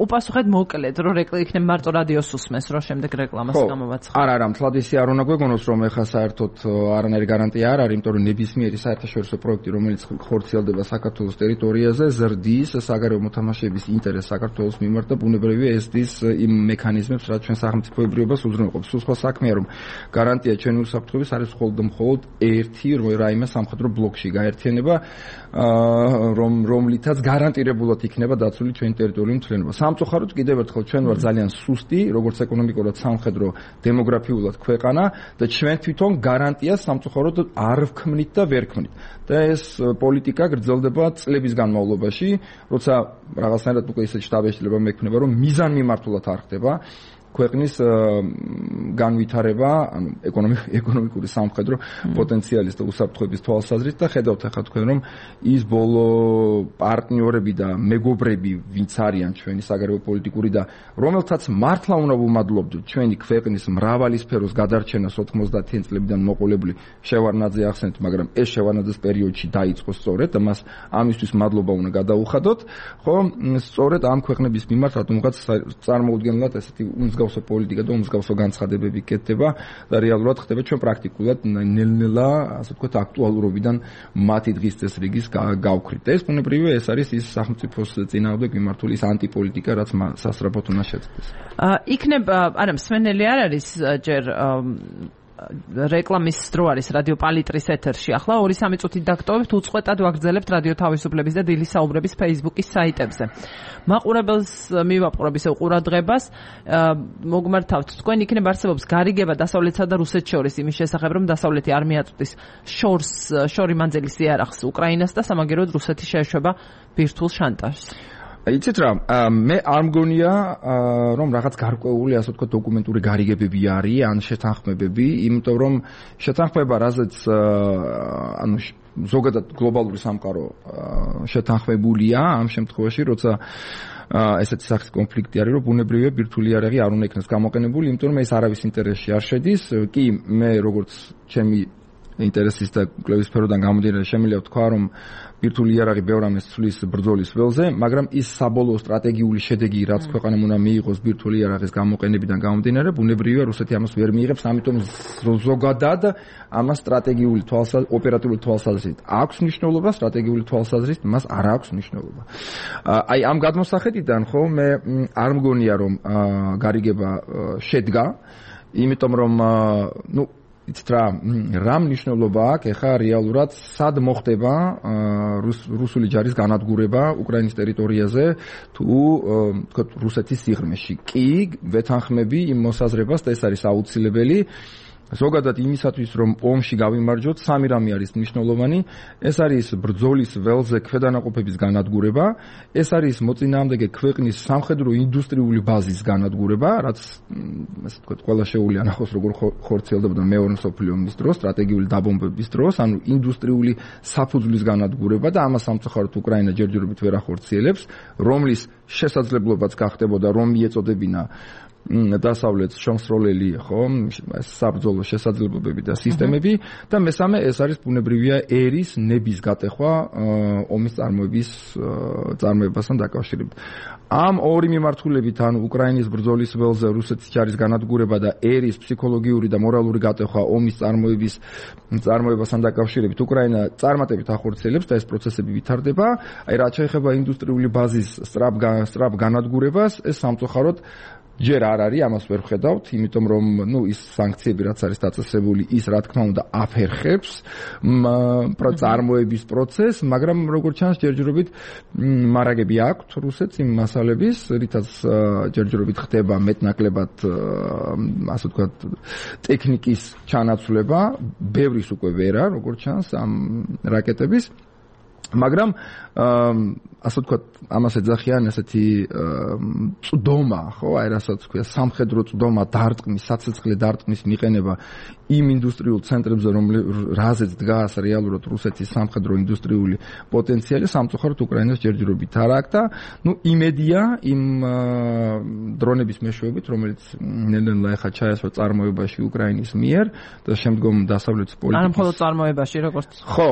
უპასუხეთ მოკლედ, რომ იქნება მარტო რადიოს უსმენს, რომ შემდეგ რეკლამას გამოვაცხადოთ. არა, მთლად ისე არ უნდა გვეგონოს, რომ ეხლა საერთოდ არანაირი გარანტია არ არის, იმიტომ რომ ნებისმიერი საერთაშორისო პროექტი, რომელიც ხორციელდება საქართველოს ტერიტორიაზე, ზრდის საგარეო მოთამაშეების ინტერესს საქართველოს მიმართ და ბუნებრივია ესდის იმ მექანიზმებს, რაც ჩვენ სახელმწიფოებრიობას უზრუნველყოფს. სულ სხვა საქმეა, რომ გარანტია ჩვენი უსაფრთხოების არის მხოლოდ ერთი რაიმე სამხედრო ბლოკში გაერთიანება რომლითაც გარანტირებულად იქნება დაცული ჩვენი ტერიტორიული მთლიანობა. სამწუხაროდ კიდევ ერთხელ ჩვენ ვარ ძალიან სუსტი, როგორც ეკონომიკურად, სამხედრო, დემოგრაფიულად ქვეყანა და ჩვენ თვითონ გარანტიას სამწუხაროდ არ ვქმნით და ვერ ვქმნით. და ეს პოლიტიკა გრძელდება წლების განმავლობაში, როცა რაღაცნაირად უკვე ისეთ შტაბეშლება მექნება, რომ მიზანმიმართულად არ ხდება ქვეყნის განვითარება, ანუ ეკონომიკური სამხედრო პოტენციალის და უსაფრთხოების თვალსაზრისით და ხედავთ ახლა თქვენ რომ ის ბოლო პარტნიორები და მეგობრები ვინც არიან ჩვენი საგარეო პოლიტიკური და რომელთაც მართლა უნდა ვუმადლობდეთ ჩვენი ქვეყნის მრავალი სფეროს გადარჩენას 90-იან წლებიდან მოყოლებული შევარდნაძე ახსენეთ, მაგრამ ეს შევარდნაძის პერიოდში დაიწყო სწორედ და მას ამისთვის მადლობა უნდა გადაუხადოთ, ხო, სწორედ ამ ქვეყნების მიმართ რატომღაც წარმოუდგენლად ესეთი მსგავსო პოლიტიკა და მსგავსო განცხადებები კეთდება და რეალურად ხდება ჩვენ პრაქტიკულად ნელ-ნელა ასე ვთქვათ აქტუალურობიდან მათი დღის წესრიგის გავქრით. ეს ბუნებრივია ეს არის ის სახელმწიფოს წინააღმდეგ მიმართული ის ანტიპოლიტიკა, რაც სასწრაფოდ უნდა შეწყდეს. იქნება, არა, მსმენელი არ არის ჯერ რეკლამის დრო არის რადიო პალიტრის ეთერში. ახლა 2-3 წუთით დაგტოვებთ, უწყვეტად ვაგრძელებთ რადიო თავისუფლების და დილის საუბრების Facebook-ის საიტებზე. მაყურებელს მივაპყრობ ისევ ყურადღებას, მოგმართავთ, თქვენ იქნება არსებობს გარიგება დასავლეთსა და რუსეთს შორის იმის შესახებ, რომ დასავლეთი არ მიაწვდის შორი მანძილის იარაღს უკრაინას და სამაგეროდ რუსეთი შეეშვება ბირთვულ შანტაჟს. იცით რა, მე არ მგონია რომ რაღაც გარკვეული ასე ვთქვათ დოკუმენტური გარიგებები არის ან შეთანხმებები, იმიტომ რომ შეთანხმება რაზეც ანუ ზოგადად გლობალური სამყარო შეთანხმებულია ამ შემთხვევაში, როცა ესეთი სახის კონფლიქტი არის, რომ ბუნებრივია ბირთვული იარაღი არ უნდა იქნას გამოყენებული, იმიტომ რომ ეს არავის ინტერესში არ შედის. კი, მე როგორც ჩემი ინტერესის და კვლევის სფეროდან გამომდინარე შემიძლია ვთქვა, რომ ბირთვული იარაღი ბევრ ამას ცვლის ბრძოლის ველზე, მაგრამ ის საბოლოო სტრატეგიული შედეგი, რაც ქვეყანამ უნდა მიიღოს ბირთვული იარაღის გამოყენებიდან გამომდინარე, ბუნებრივია რუსეთი ამას ვერ მიიღებს, ამიტომ ზოგადად ამას სტრატეგიული ოპერატიული თვალსაზრისით აქვს მნიშვნელობა, სტრატეგიული თვალსაზრისით მას არ აქვს მნიშვნელობა. აი ამ გადმოსახედიდან ხო მე არ მგონია რომ გარიგება შედგა, იმიტომ რომ იცით რა მნიშვნელობა აქვს ეხა რეალურად სად მოხდება რუსული ჯარის განადგურება უკრაინის ტერიტორიაზე თუ თქო რუსეთის სიღრმეში. კი, ვეთანხმები იმ მოსაზრებას და ეს არის აუცილებელი. ზოგადად იმისათვის რომ ომში გავიმარჯვოთ, სამი რამე არის მნიშვნელოვანი. ეს არის ბრძოლის ველზე ქვედანაყოფების განადგურება, ეს არის მოწინააღმდეგე ქვეყნის სამხედრო ინდუსტრიული ბაზის განადგურება, რაც ასე ვთქვათ, ყველა შეუძლია ნახოს როგორ ხორციელდებოდა მეორე მსოფლიო ომის დროს, სტრატეგიული დაბომბების დროს, ანუ ინდუსტრიული საფუძვლის განადგურება და ამას სამწუხაროდ უკრაინა ჯერჯერობით ვერ ახორციელებს, რომლის შესაძლებლობაც გახდებოდა რომ მიეწოდებინა დასავლეთს შემსროლელი ხო საბრძოლო შესაძლებლობები და სისტემები და მესამე ეს არის ბუნებრივია ერის ნების გატეხვა ომის წარმოებასთან დაკავშირებით. ამ ორი მიმართულებით ან უკრაინის ბრძოლის ველზე რუსეთის ჯარის განადგურება და ერის ფსიქოლოგიური და მორალური გატეხვა ომის წარმოებასთან დაკავშირებით უკრაინა წარმატებით ახორციელებს და ეს პროცესები ვითარდება. აი რაც შეეხება ინდუსტრიული ბაზის სწრაფ განადგურებას, ეს სამწუხაროდ ჯერ არ არის, ამას ვერ ვხედავთ, იმიტომ რომ ის სანქციები რაც არის დაწესებული, ის რა თქმა უნდა აფერხებს წარმოების პროცესს, მაგრამ როგორც ჩანს ჯერჯერობით მარაგები აქვთ რუსეთს იმ მასალების, რითაც ჯერჯერობით ხდება მეტნაკლებად ასე ვთქვათ ტექნიკის ჩანაცვლება, ბევრის უკვე ვერა, როგორც ჩანს ამ რაკეტების, მაგრამ ასე ვთქვათ, ამას ეძახიან ესეთი წვდომა, ხო, აი რასაც ქვია, სამხედრო წვდომა, დარტყმის, საცეცხლე დარტყმის მიყენება იმ ინდუსტრიულ ცენტრებზე, რაზეც დგას რეალურად რუსეთის სამხედრო ინდუსტრიული პოტენციალი, სამწუხაროდ უკრაინას ჯერჯერობით არ აქვს და იმედია იმ დრონების მეშვეობით, რომელიც ნელ-ნელა ეხა ჩაესვა წარმოებაში უკრაინის მიერ და შემდგომ დასავლეთის პოლიტიკის. არა მხოლოდ წარმოებაში, როგორც ხო.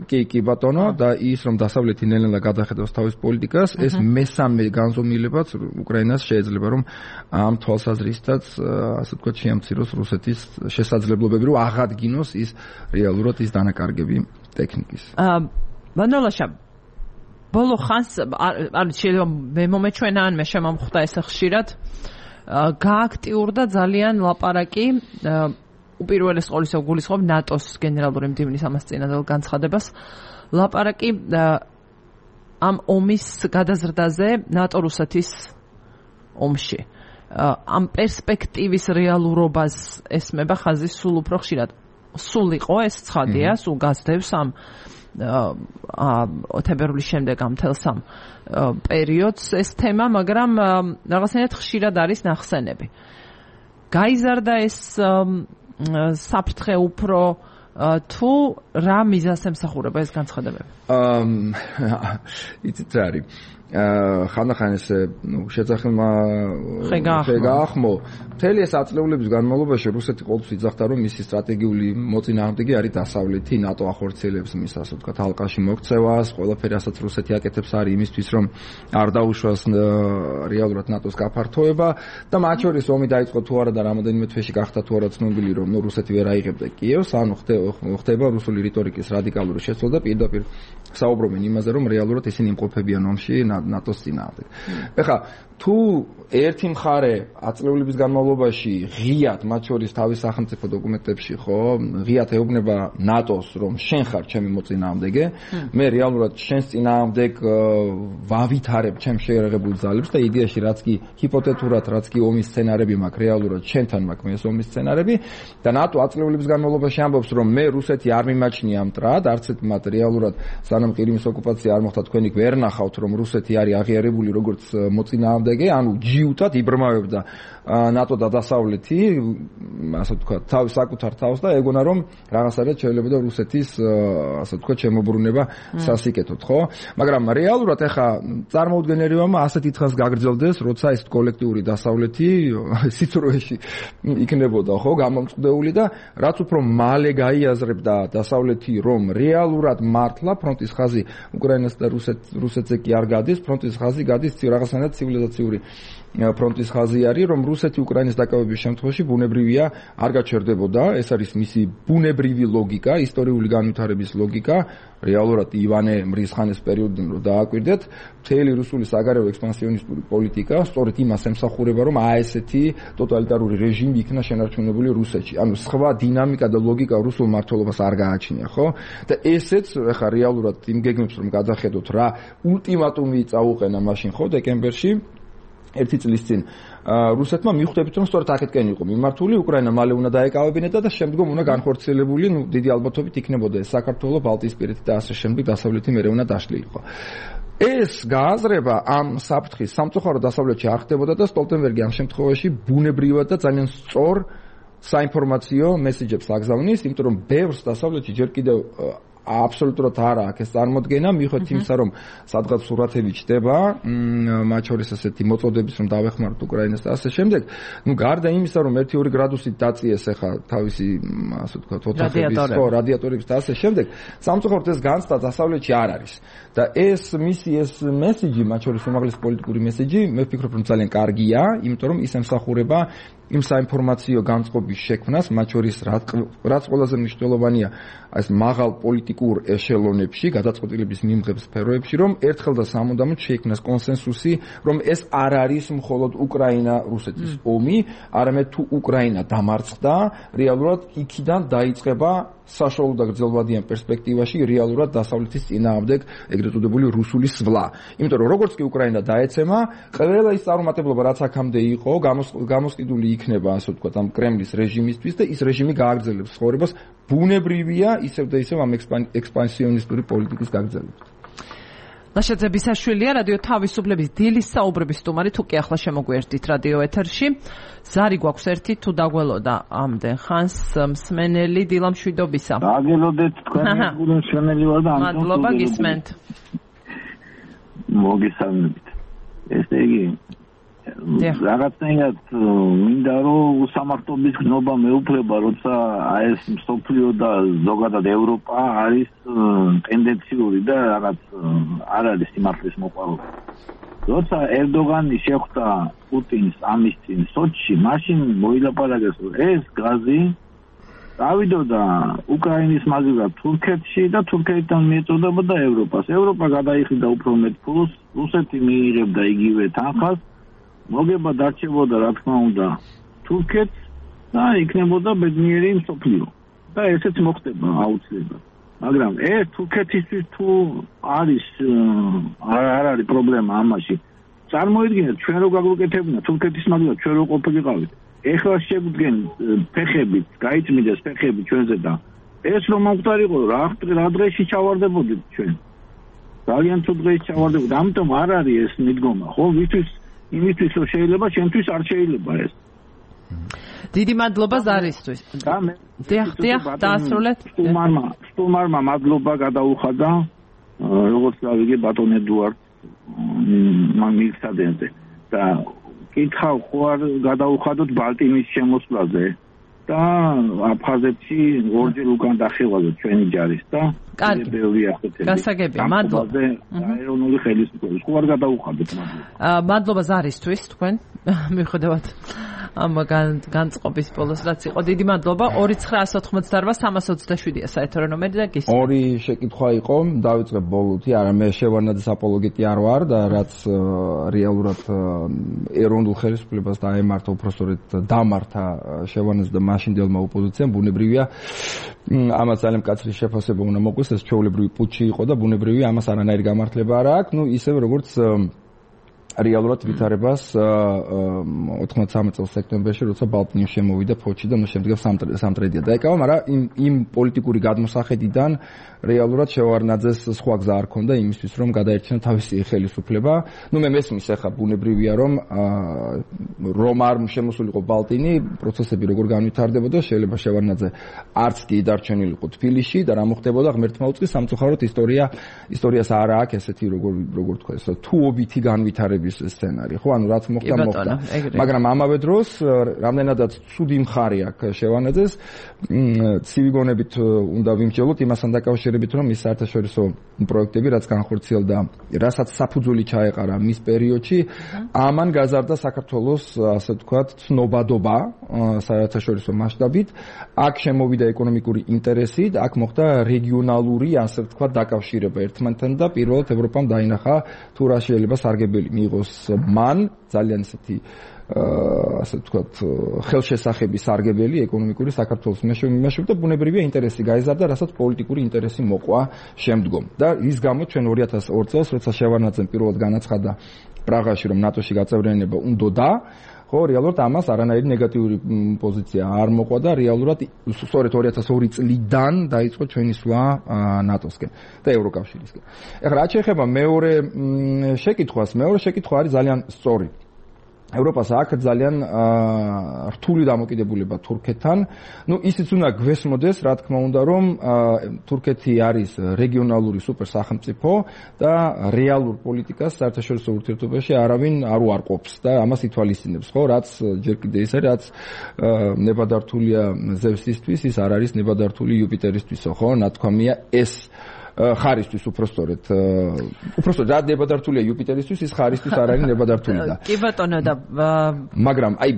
კი, ბატონო, და ის რომ დასავლეთი ნელ-ნელა გადახედავს თავის პოლიტიკას, ეს მესამე განზომილებაც უკრაინას შეიძლება რომ ამ თვალსაზრისითაც ასე ვთქვათ შეამციროს რუსეთის შესაძლებლობები, რომ აღადგინოს ის რეალურად ის დანაკარგები ტექნიკის. მანოლაშა ბოლო ხანს არის შეიძლება მე მომეჩვენა ან მე შემომხვდა ეს ხშირად გააქტიურდა ძალიან ლაპარაკი უპირველეს ყოვლისა გულისხმობ ნატოს გენერალური მდივნის ამას წინადელ განცხადებას ლაპარაკი ამ ომის გადაზრდაზე ნატო-რუსეთის ომში. ამ პერსპექტივის რეალურობას ესმება ხაზი სულ უფრო ხშირად. სულ იყო ეს ცხადია, სულ გასდევს ამ თებერვლის შემდეგ ამ თელს ამ პერიოდს ეს თემა, მაგრამ რაღაცნაირად ხშირად არის ნახსენები. გაიზარდა ეს საფრთხე უფრო თუ რა მიზანს ემსახურება ეს განცხადებები? იცით რა არის? ხანდახან ეს შეძახმა ხეგაახმო მთელი ეს აწლეულების განმავლობაში რუსეთი ყოველთვის იძახდა რომ მისი სტრატეგიული მოწინააღმდეგე არის დასავლეთი ნატო ახორციელებს მის ასე ვთქვათ ალყაში მოქცევას ყველაფერი ასაც რუსეთი აკეთებს არის იმისთვის რომ არ დაუშვას რეალურად ნატოს გაფართოება და მათ შორის ომი დაიწყო თუ არა და რამოდენიმე თვეში გახდა თუ არა ცნობილი რომ რუსეთი ვერ აიღებდა კიევს ანუ ხდება რუსული რიტორიკის რადიკალური შეცვლა და პირდაპირ საუბრობენ იმაზე რომ რეალურად ისინი იმყოფებიან ომში ნატოს წინააღმდეგ. ეხლა თუ ერთი მხარე აწლეულების განმავლობაში ღიად მათ შორის თავის სახელმწიფო დოკუმენტებში ხო ღიად ეუბნება ნატოს რომ შენ ხარ ჩემი მოწინააღმდეგე მე რეალურად შენს წინააღმდეგ ვავითარებ ჩემს შეერაღებულ ძალებს და იდეაში რაც კი ჰიპოთეტურად რაც კი ომის სცენარები მაქვს რეალურად შენთან მაქვს მე ეს ომის სცენარები და ნატო აწლეულების განმავლობაში ამბობს რომ მე რუსეთი არ მიმაჩნია მტრად არც ერთ მათ რეალურად სანამ ყირიმის ოკუპაცია არ მოხდა თქვენი ვერ ნახავთ რომ რუსეთი დასავლეთი არის აღიარებული როგორც მოწინააღმდეგე, ანუ ჯიუტად იბრმავებდა ნატო და დასავლეთი, ასე ვთქვათ, თავის საკუთარ თავს და ეგონა რომ რაღაცადაც შეიძლება რუსეთის ასე ვთქვათ შემოbrunება სასიკეთოდ, ხო? მაგრამ რეალურად ეხა წარმოუდგენელია ასეთი თხას გაგრძელდეს, როცა ეს კოლექტიური დასავლეთი სიცრუეში იქნებოდა, ხო, გამომწყდეული და რაც უფრო მალე გაიაზრებდა დასავლეთი რომ რეალურად მართლა ფრონტის ხაზი უკრაინას და რუსეთზე კი არ გადის, ფრონტის ხაზი გადის რაღაცნაირად ცივილიზაციური ფრონტის ხაზი არის, რომ რუსეთი უკრაინის დაკავების შემთხვევაში ბუნებრივია არ გაჩერდებოდა, ეს არის მისი ბუნებრივი ლოგიკა, ისტორიული განვითარების ლოგიკა, რეალურად ივანე მრისხანეს პერიოდიდან რო დააკვირდეთ, მთელი რუსული საგარეო ექსპანსიონისტური პოლიტიკა სწორედ იმას ემსახურება, რომ ესეთი ტოტალიტარული რეჟიმი იქნა შენარჩუნებული რუსეთში. ანუ სხვა დინამიკა და ლოგიკა რუსულ მმართველობას არ გააჩნია, ხო? და ესეც ახლა რეალურად იმ გეგმებს რომ გადახედოთ რა ულტიმატუმი წაუყენა მაშინ, ხო, დეკემბერში ერთი წლის წინ რუსეთმა მიხვდებით რომ სწორედ აქეთკენ იყო მიმართული უკრაინა მალე უნდა დაეკავებინებდა და შემდგომ უნდა განხორციელებული დიდი ალბათობით იქნებოდა ეს საქართველო, ბალტიისპირეთი და ასე შემდეგ დასავლეთი მერე უნდა დაშლილიყო. ეს გააზრება ამ საფრთხის სამწუხაროდ დასავლეთში არ ხდებოდა და სტოლტენბერგი ამ შემთხვევაში ბუნებრივად და ძალიან სწორ საინფორმაციო მესეჯებს აგზავნის, იმიტომ რომ ბევრს დასავლეთში ჯერ კიდევ აბსოლუტურად არა აქ ეს წარმოდგენა, მიუხედავად იმისა, რომ სადღაც სურათები ჩდება, მათ შორის ასეთი მოწოდების, რომ დავეხმაროთ უკრაინას და ასე შემდეგ, ну გარდა იმისა, რომ 1-2 გრადუსით დაწიეს ახლა თავისი, ასე ვთქვათ, ოთახების, ხო, რადიატორების და ასე შემდეგ, სამწუხაროდ ეს განცდა დასავლეთში არ არის. და ეს მისი ეს მესეჯი, მათ შორის უმაღლესი პოლიტიკური მესეჯი, მე ვფიქრობ, რომ ძალიან კარგია, იმიტომ რომ ის ემსახურება იმ საინფორმაციო განწყობის შექმნას, მათ შორის რაც ყველაზე მნიშვნელოვანია, ეს მაღალ პოლიტიკურ ეშელონებში, გადაწყვეტილების მიმღებ სფეროებში, რომ ერთხელ და სამუდამოდ შეიქმნას კონსენსუსი, რომ ეს არ არის მხოლოდ უკრაინა-რუსეთის ომი, არამედ თუ უკრაინა დამარცხდა, რეალურად იქიდან დაიწყება საშუალო და გრძელვადიან პერსპექტივაში რეალურად დასავლეთის წინააღმდეგ ეგრეთ წოდებული რუსული სვლა. იმიტომ რომ როგორც კი უკრაინა დაეცემა, ყველა ის წარუმატებლობა რაც აქამდე იყო, გამოსყიდული იქნება, ასე ვთქვათ, ამ კრემლის რეჟიმისთვის და ის რეჟიმი გააგრძელებს ცხოვრებას ბუნებრივია ისევ და ისევ ამ ექსპანსიონისტური პოლიტიკის გაგრძელებით. ლაშაძე ბისაშვილია, რადიო თავისუფლების დილის საუბრების სტუმარი, თუ კი ახლა შემოგვიერთდით რადიო ეთერში. ზარი გვაქვს ერთი თუ დაგველოდა ამდენ ხანს მსმენელი დილამშვიდობისა. დაგველოდეთ თქვენი მსმენელი ვარ და მადლობა გისმენთ. მოგესალმებით. ესე იგი რაღაცნაირად მინდა რომ უსამართლობის გნობა მეუფლება, როცა ეს მსოფლიო და ზოგადად ევროპა არის ტენდენციური და რაღაც არ არის სიმართლის მოყვარული. როცა ერდოგანი შეხვდა პუტინს ამის წინ სოჩში, მაშინ მოილაპარაკეს რომ ეს გაზი დავიდოდა უკრაინის მაგივრად თურქეთში და თურქეთთან მიეწოდებოდა ევროპას. ევროპა გადაიხიდა უფრო მეტ ფულს, რუსეთი მიიღებდა იგივე თანხას. მოგება დარჩებოდა რა თქმა უნდა თურქეთს და იქნებოდა ბედნიერი მსოფლიო და ესეც მოხდება აუცილებლად. მაგრამ თურქეთისთვის თუ არის არ არის პრობლემა ამაში. წარმოიდგინეთ ჩვენ რო გაგვიკეთებინა თურქეთის მაგივრად ჩვენ რო ყოფილიყავით. ეხლა შეგვდგენთ ფეხებით, გაიწმინდეს ფეხები ჩვენზე და ეს რომ მომხდარიყო რა დღეში ჩავარდებოდით ჩვენ. ძალიან თუ დღეში ჩავარდებოდით. ამიტომ არ არის ეს მიდგომა. ხო ვითის იმისთვის რომ შეიძლება, ჩვენთვის არ შეიძლება ეს. დიდი მადლობა ზარისთვის. დიახ, დაასრულეთ. სტუმარმა მადლობა გადაუხადა, როგორც გავიგე ბატონ ედუარდ მიგსადენზე. და კითხავ ხო არ გადაუხადოთ ბალტიმის შემოსვლაზე და აფხაზეთში ორჯერ უკან დახევაზე ჩვენი ჯარის და ბევრი ახეთები. გასაგებია, მადლობა. აერონული ხელისუფლების ხო არ გადაუხადოთ, მადლობა. მადლობა ზარისთვის თქვენ. მიუხედავად ამ განწყობის ბოლოს რაც იყო, დიდი მადლობა. 2988327-ია საერთო ნომერი და გისმენთ. ორი შეკითხვა იყო, დავიწყებ ბოლოთი, არა მე შევარნაძის აპოლოგეტი არ ვარ და რაც რეალურად ეროვნულ ხელისუფლებას დაემართა, უпростоრეთ დამართა შევარნაძე და მაშინდელმა ოპოზიციამ, ბუნებრივია ამას ძალიან მკაცრი შეფასება უნდა მოგვეს, ეს ჩვეულებრივი პუტჩი იყო და ბუნებრივია ამას არანაირი გამართლება არ აქვს, ისევ როგორც რეალურად ვითარებას 93 წელს სექტემბერში, როცა ბალტნიუ შემოვიდა ფოჩი და შემდგომ სამტრედია დაეკავა, მაგრამ იმ პოლიტიკური გადმოსახედიდან რეალურად შევარნაძეს სხვა გზა არ ქონდა იმისთვის, რომ გადაერჩინა თავისი ხელისუფლება. მე მესმის ახლა ბუნებრივია, რომ არ შემოსულიყო ბალტინი, პროცესები როგორ განვითარდებოდა, შეიძლება შევარნაძე არც კი დარჩენილიყო თბილისში და რა მოხდებოდა ღმერთმა უწყის, სამწუხაროდ ისტორიას არ აქვს ესეთი როგორ თქვა, თუობითი განვითარების სცენარი, ხო, ანუ რაც მოხდა, მაგრამ ამავე დროს რამდენადაც ცუდი მხარე აქვს შევარნაძეს, ცივი გონებით უნდა ვიმსჯელოთ იმასთან დაკავშირებით, რომ ის საერთაშორისო პროექტები, რაც განხორციელდა, რასაც საფუძველი ჩაეყარა მის პერიოდში, ამან გაზარდა საქართველოს, ასე ვთქვათ, ცნობადობა საერთაშორისო მასშტაბით, აქ შემოვიდა ეკონომიკური ინტერესი, აქ მოხდა რეგიონალური, ასე ვთქვათ, დაკავშირება ერთმანეთთან და პირველად ევროპამ დაინახა თუ რა შეიძლება სარგებელი მიიღოს მან ძალიან ისეთი ასე ვთქვათ ხელშესახები სარგებელი ეკონომიკური საქართველოს მეშვეობით და ბუნებრივია ინტერესი გაიზარდა, რასაც პოლიტიკური ინტერესი მოყვა შემდგომ. და ის გამო ჩვენ 2002 წელს, როცა შევარნაძემ პირველად განაცხადა პრაღაში, რომ ნატოში გაწევრიანება უნდოდა, ხო, რეალურად ამას არანაირი ნეგატიური პოზიცია არ მოყვა და რეალურად სწორედ 2002 წლიდან დაიწყო ჩვენი სვლა ნატოსკენ და ევროკავშირისკენ. ეხლა რაც შეეხება მეორე შეკითხვა არის ძალიან სწორი. ევროპას აქვს ძალიან რთული დამოკიდებულება თურქეთთან. ისიც უნდა გვესმოდეს, რა თქმა უნდა, რომ თურქეთი არის რეგიონალური სუპერსახელმწიფო და რეალურ პოლიტიკას საერთაშორისო ურთიერთობაში არავინ არ უარყოფს და ამას ითვალისწინებს, ხო, რაც ჯერ კიდე ის არის, რაც ნებადართულია ზევსისთვის, ის არ არის ნებადართული იუპიტერისთვისო, ხო, ნათქვამია ეს ხარისთვის უпростоრეთ რა ნებადართულია იუპიტერისთვის, ის ხარისთვის არ არის ნებადართული და კი ბატონო და მაგრამ აი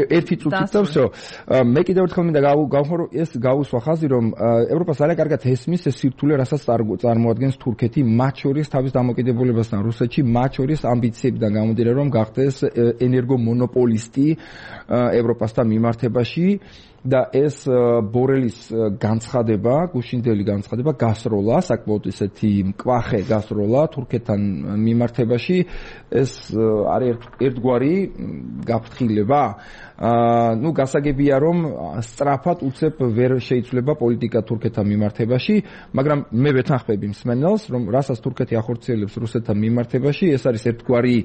ერთი წუთით და всё მე კიდევ ერთხელ მინდა გავხო ეს გაუსვა ხაზი, რომ ევროპას ძალიან კარგად ესმის ეს სირთულე, რასაც წარმოადგენს თურქეთი, მათ შორის თავის დამოკიდებულებასთან რუსეთში, მათ შორის ამბიციებიდან გამომდინარე, რომ გახდეს ენერგომონოპოლისტი ევროპასთან მიმართებაში და ეს ბორელის განცხადება, გუშინდელი განცხადება გასროლა, საკმაოდ ისეთი მკვახე გასროლა თურქეთთან მიმართებაში, ეს არის ერთგვარი გაფრთხილება. გასაგებია, რომ სწრაფად უცებ ვერ შეიცვლება პოლიტიკა თურქეთთან მიმართებაში, მაგრამ მე ვეთანხმები მსმენელს, რომ რასაც თურქეთი ახორციელებს რუსეთთან მიმართებაში, ეს არის ერთგვარი,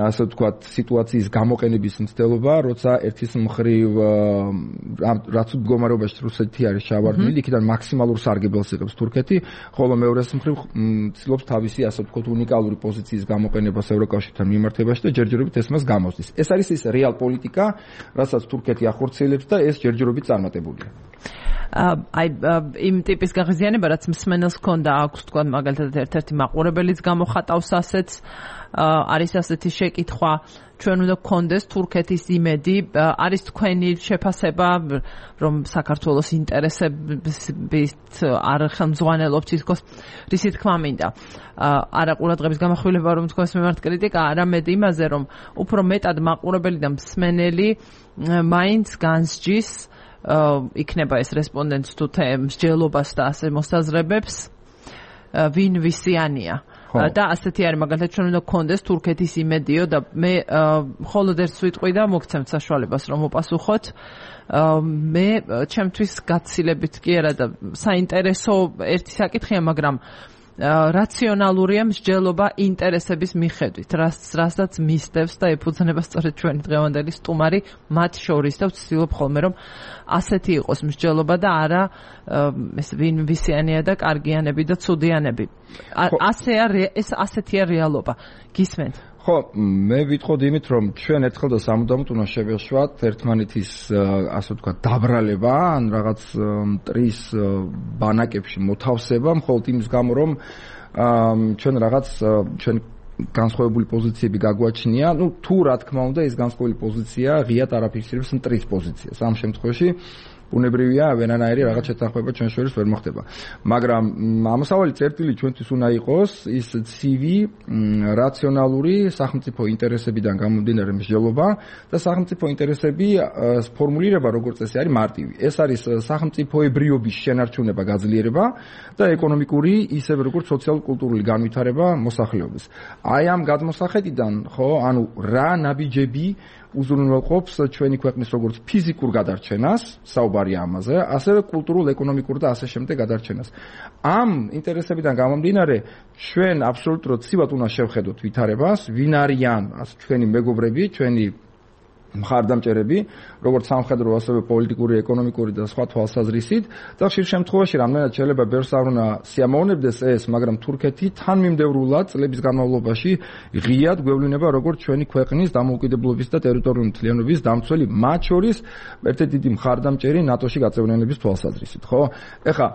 ასე ვთქვათ, სიტუაციის გამოყენების მცდელობა, როცა ერთის მხრივ რაც მდგომარეობაში რუსეთი არის ჩავარდნილი, იქიდან მაქსიმალურ სარგებელს იღებს თურქეთი, ხოლო მეორეს მხრივ ცდილობს თავისი, ასე ვთქვათ, უნიკალური პოზიციის გამოყენებას ევროკავშირთან მიმართებაში და ჯერჯერობით ეს მას გამოსდის. ეს არის ის რეალ პოლიტიკა, რასაც თურქეთი ახორციელებს და ეს ჯერჯერობით წარმატებულია. აი იმ ტიპის გაღიზიანება, რაც მსმენელს ჰქონდა, აქვს თქვა მაგალითად ერთ-ერთი მაყურებელიც გამოხატავს ასეთს, არის ასეთი შეკითხვა, ჩვენ უნდა გქონდეს თურქეთის იმედი, არის თქვენი შეფასება, რომ საქართველოს ინტერესებით არ ხელმძღვანელობს ისკოს, რისი თქმა მინდა. არა ყურადღების გამახვილება, რომ თქვენს მიმართ კრიტიკა, არამედ იმაზე, რომ უფრო მეტად მაყურებელი და მსმენელი მაინც განსჯის იქნება ეს რესპონდენტს თუ მსჯელობას და ასე მოსაზრებებს, ვინ ვისიანია. და ასეთი არის მაგალითად ჩვენ უნდა გქონდეს თურქეთის იმედიო და მე მხოლოდ ერთ სიტყვი და მოგცემთ საშუალებას რომ მოპასუხოთ. მე ჩემთვის გაცილებით კი არა და საინტერესო ერთი საკითხია, მაგრამ რაციონალურია მსჯელობა ინტერესების მიხედვით, რასაც მისდევს და ეფუძნება სწორედ ჩვენი დღევანდელი სტუმარი მათ შორის და ვცდილობ ხოლმე რომ ასეთი იყოს მსჯელობა და არა ეს ვინ ვისიანია და კარგიანები და ცუდიანები. ასეთია რეალობა. გისმენთ? ხო, მე ვიტყოდი იმით, რომ ჩვენ ერთხელ და სამუდამოდ უნდა შევეშვათ ერთმანეთის, ასე ვთქვათ, დაბრალება, ან რაღაც მტრის ბანაკებში მოთავსება, მხოლოდ იმის გამო, რომ ჩვენ განსხვავებული პოზიციები გაგვაჩნია, თუ რა თქმა უნდა ეს განსხვავებული პოზიცია ღიად არ აფიქსირებს მტრის პოზიციას. ამ შემთხვევაში ბუნებრივია ვერანაირი რაღაც შეთანხმება ჩვენ შორის ვერ მოხდება. მაგრამ ამოსავალი წერტილი ჩვენთვის უნდა იყოს ის ცივი, რაციონალური სახელმწიფო ინტერესებიდან გამომდინარე მსჯელობა და სახელმწიფო ინტერესები ფორმულირება როგორც წესი არის მარტივი. ეს არის სახელმწიფოებრიობის შენარჩუნება, გაძლიერება და ეკონომიკური ისევე როგორც სოციალურ-კულტურული განვითარება მოსახლეობის. აი ამ გადმოსახედიდან, ხო, ანუ რა ნაბიჯები უზრუნველყოფს ჩვენი ქვეყნის როგორც ფიზიკურ გადარჩენას, საუბარია ამაზე, ასევე კულტურულ, ეკონომიკურ და ასე შემდეგ გადარჩენას. ამ ინტერესებიდან გამომდინარე, ჩვენ აბსოლუტურად ცივად უნდა შევხედოთ ვითარებას, ვინ არიან ჩვენი მეგობრები, ჩვენი მხარდამჭერები, როგორც სამხედრო, ასევე პოლიტიკური, ეკონომიკური და სხვა თვალსაზრისით და ხშირ შემთხვევაში რამდენად შეიძლება ბევრს არ უნდა სიამოვნებდეს ეს, მაგრამ თურქეთი თანმიმდევრულად წლების განმავლობაში ღიად გვევლინება როგორც ჩვენი ქვეყნის დამოუკიდებლობის და ტერიტორიული მთლიანობის დამცველი, მათ შორის ერთ-ერთი დიდი მხარდამჭერი ნატოში გაწევრიანების თვალსაზრისით, ხო? ეხლა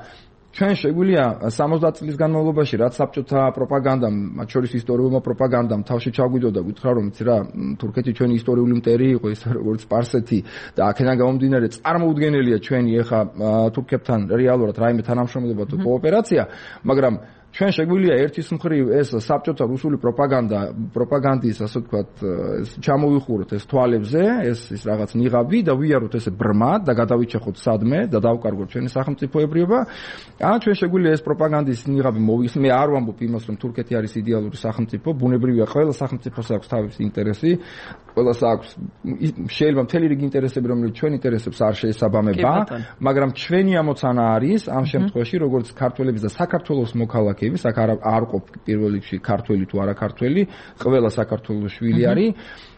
ჩვენ შეგვიძლია 70 წლის განმავლობაში რაც საბჭოთა პროპაგანდამ, მათ შორის ისტორიულმა პროპაგანდამ თავში ჩაგვიდო და გითხრა რომ იცი რა, თურქეთი ჩვენი ისტორიული მტერი იყო, ის როგორც სპარსეთი და აქედან გამომდინარე წარმოუდგენელია ჩვენი ეხა თურქებთან რეალურად რაიმე თანამშრომლობა თუ კოოპერაცია, მაგრამ ჩვენ შეგვიძლია ერთის მხრივ ეს საბჭოთა რუსული პროპაგანდის, ასე ვთქვათ, ჩამოვიხუროთ ეს თვალებზე, ეს რაღაც ნიღაბი და ვიაროთ ესე ბრმად და გადავიჩეხოთ სადმე და დავკარგოთ ჩვენი სახელმწიფოებრიობა. ან ჩვენ შეგვიძლია ეს პროპაგანდის ნიღაბი მოვიხსნით. მე არ ვამბობ იმას, რომ თურქეთი არის იდეალური სახელმწიფო, ბუნებრივია ყველა სახელმწიფოს აქვს თავისი ინტერესი, ყველას აქვს შეიძლება მთელი რიგი ინტერესები, რომელიც ჩვენ ინტერესებს არ შეესაბამება, მაგრამ ჩვენი ამოცანა არის ამ შემთხვევაში, როგორც ქართველების და საქართველოს მოქალაქეების, აქ არ ყოფ პირველ რიგში ქართველი თუ არა ქართველი, ყველა საქართველოს შვილი არის,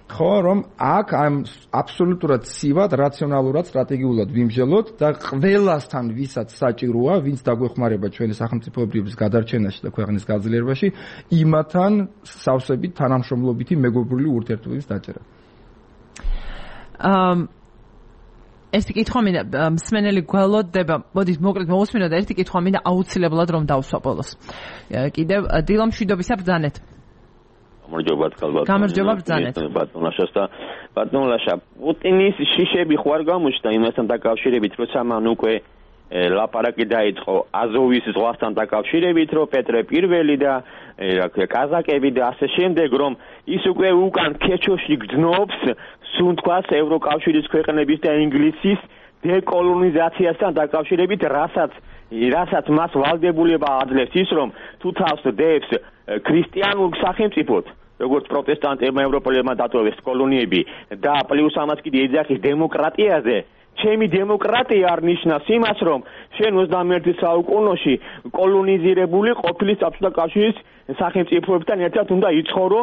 ხო, რომ აქ ამ აბსოლუტურად ცივად, რაციონალურად, სტრატეგიულად ვიმსჯელოთ და ყველასთან, ვისაც საჭიროა, ვინც დაგვეხმარება ჩვენი სახელმწიფოებრიობის გადარჩენაში და ქვეყნის გაძლიერებაში, იმათთან სავსებით თანამშრომლობითი მეგობრული ურთიერთობების დაჭერა. ერთი კითხვა მინდა მსმენელი გველოდება, მოდით მოკლედ მოусმინოთ ერთი კითხვა მინდა აუცილებლად რომ დავსვა ბოლოს. კიდევ დილამ მშვიდობისა ბრძანეთ. გამარჯობა ბრძანეთ. ბატონლაშა, პუტინის შიშები ხوار გამოჩნდა იმასთან დაკავშირებით, როცა მან უკვე ლაპარაკი დაიწყო აზოვის ზღვასთან დაკავშირებით, რომ პეტრე პირველი და კაზაკები და ასე შემდეგ, რომ ის უკვე უკან ქეჩოში გძნობს სუნთქვას ევროკავშირის ქვეყნების და ინგლისის დეკოლონიზაციასთან დაკავშირებით, რასაც მას ვალდებულება აძლევს ის, რომ თუ თავს დებს ქრისტიანულ სახელმწიფოდ, როგორც პროტესტანტებმა ევროპელებმა დატოვეს კოლონიები და პლუს ამას კიდე ეძახის დემოკრატიაზე, ჩემი დემოკრატია არ ნიშნავს იმას, რომ შენ 21 საუკუნეში კოლონიზირებული ყოფილი საბჭოთა კავშირის სახელმწიფოებთან ერთად უნდა იცხოვრო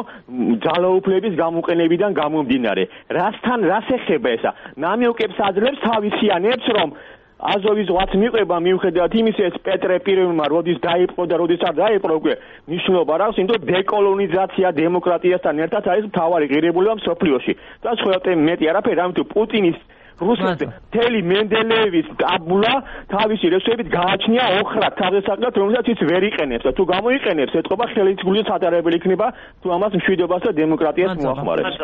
ძალაუფლების გამოყენებიდან გამომდინარე. რასთან რას ეხება ესა? ნამიოკებს აძლევს თავისიანებს, რომ აზოვის ზღვაც მიყვება მიუხედავად იმისა, ეს პეტრე პირველმა როდის დაიპყრო და როდის არ დაიპყრო, უკვე ნიშნულობა რა აქვს, იმიტომ დეკოლონიზაცია დემოკრატიასთან ერთად არის მთავარი ღირებულება მსოფლიოში. და სხვა მეტი არაფერი, ამიტომ პუტინის რუსეთის თელი მენდელეევის ტაბულა თავისი რესურსებით გააჩნია ოხრად თავდასაკრად, რომელსაც ის ვერ იყენებს და თუ გამოიყენებს, ეთყობა ხელისგული სატარებელი იქნება თუ ამას მშვიდობას და დემოკრატიას მოახმარებს.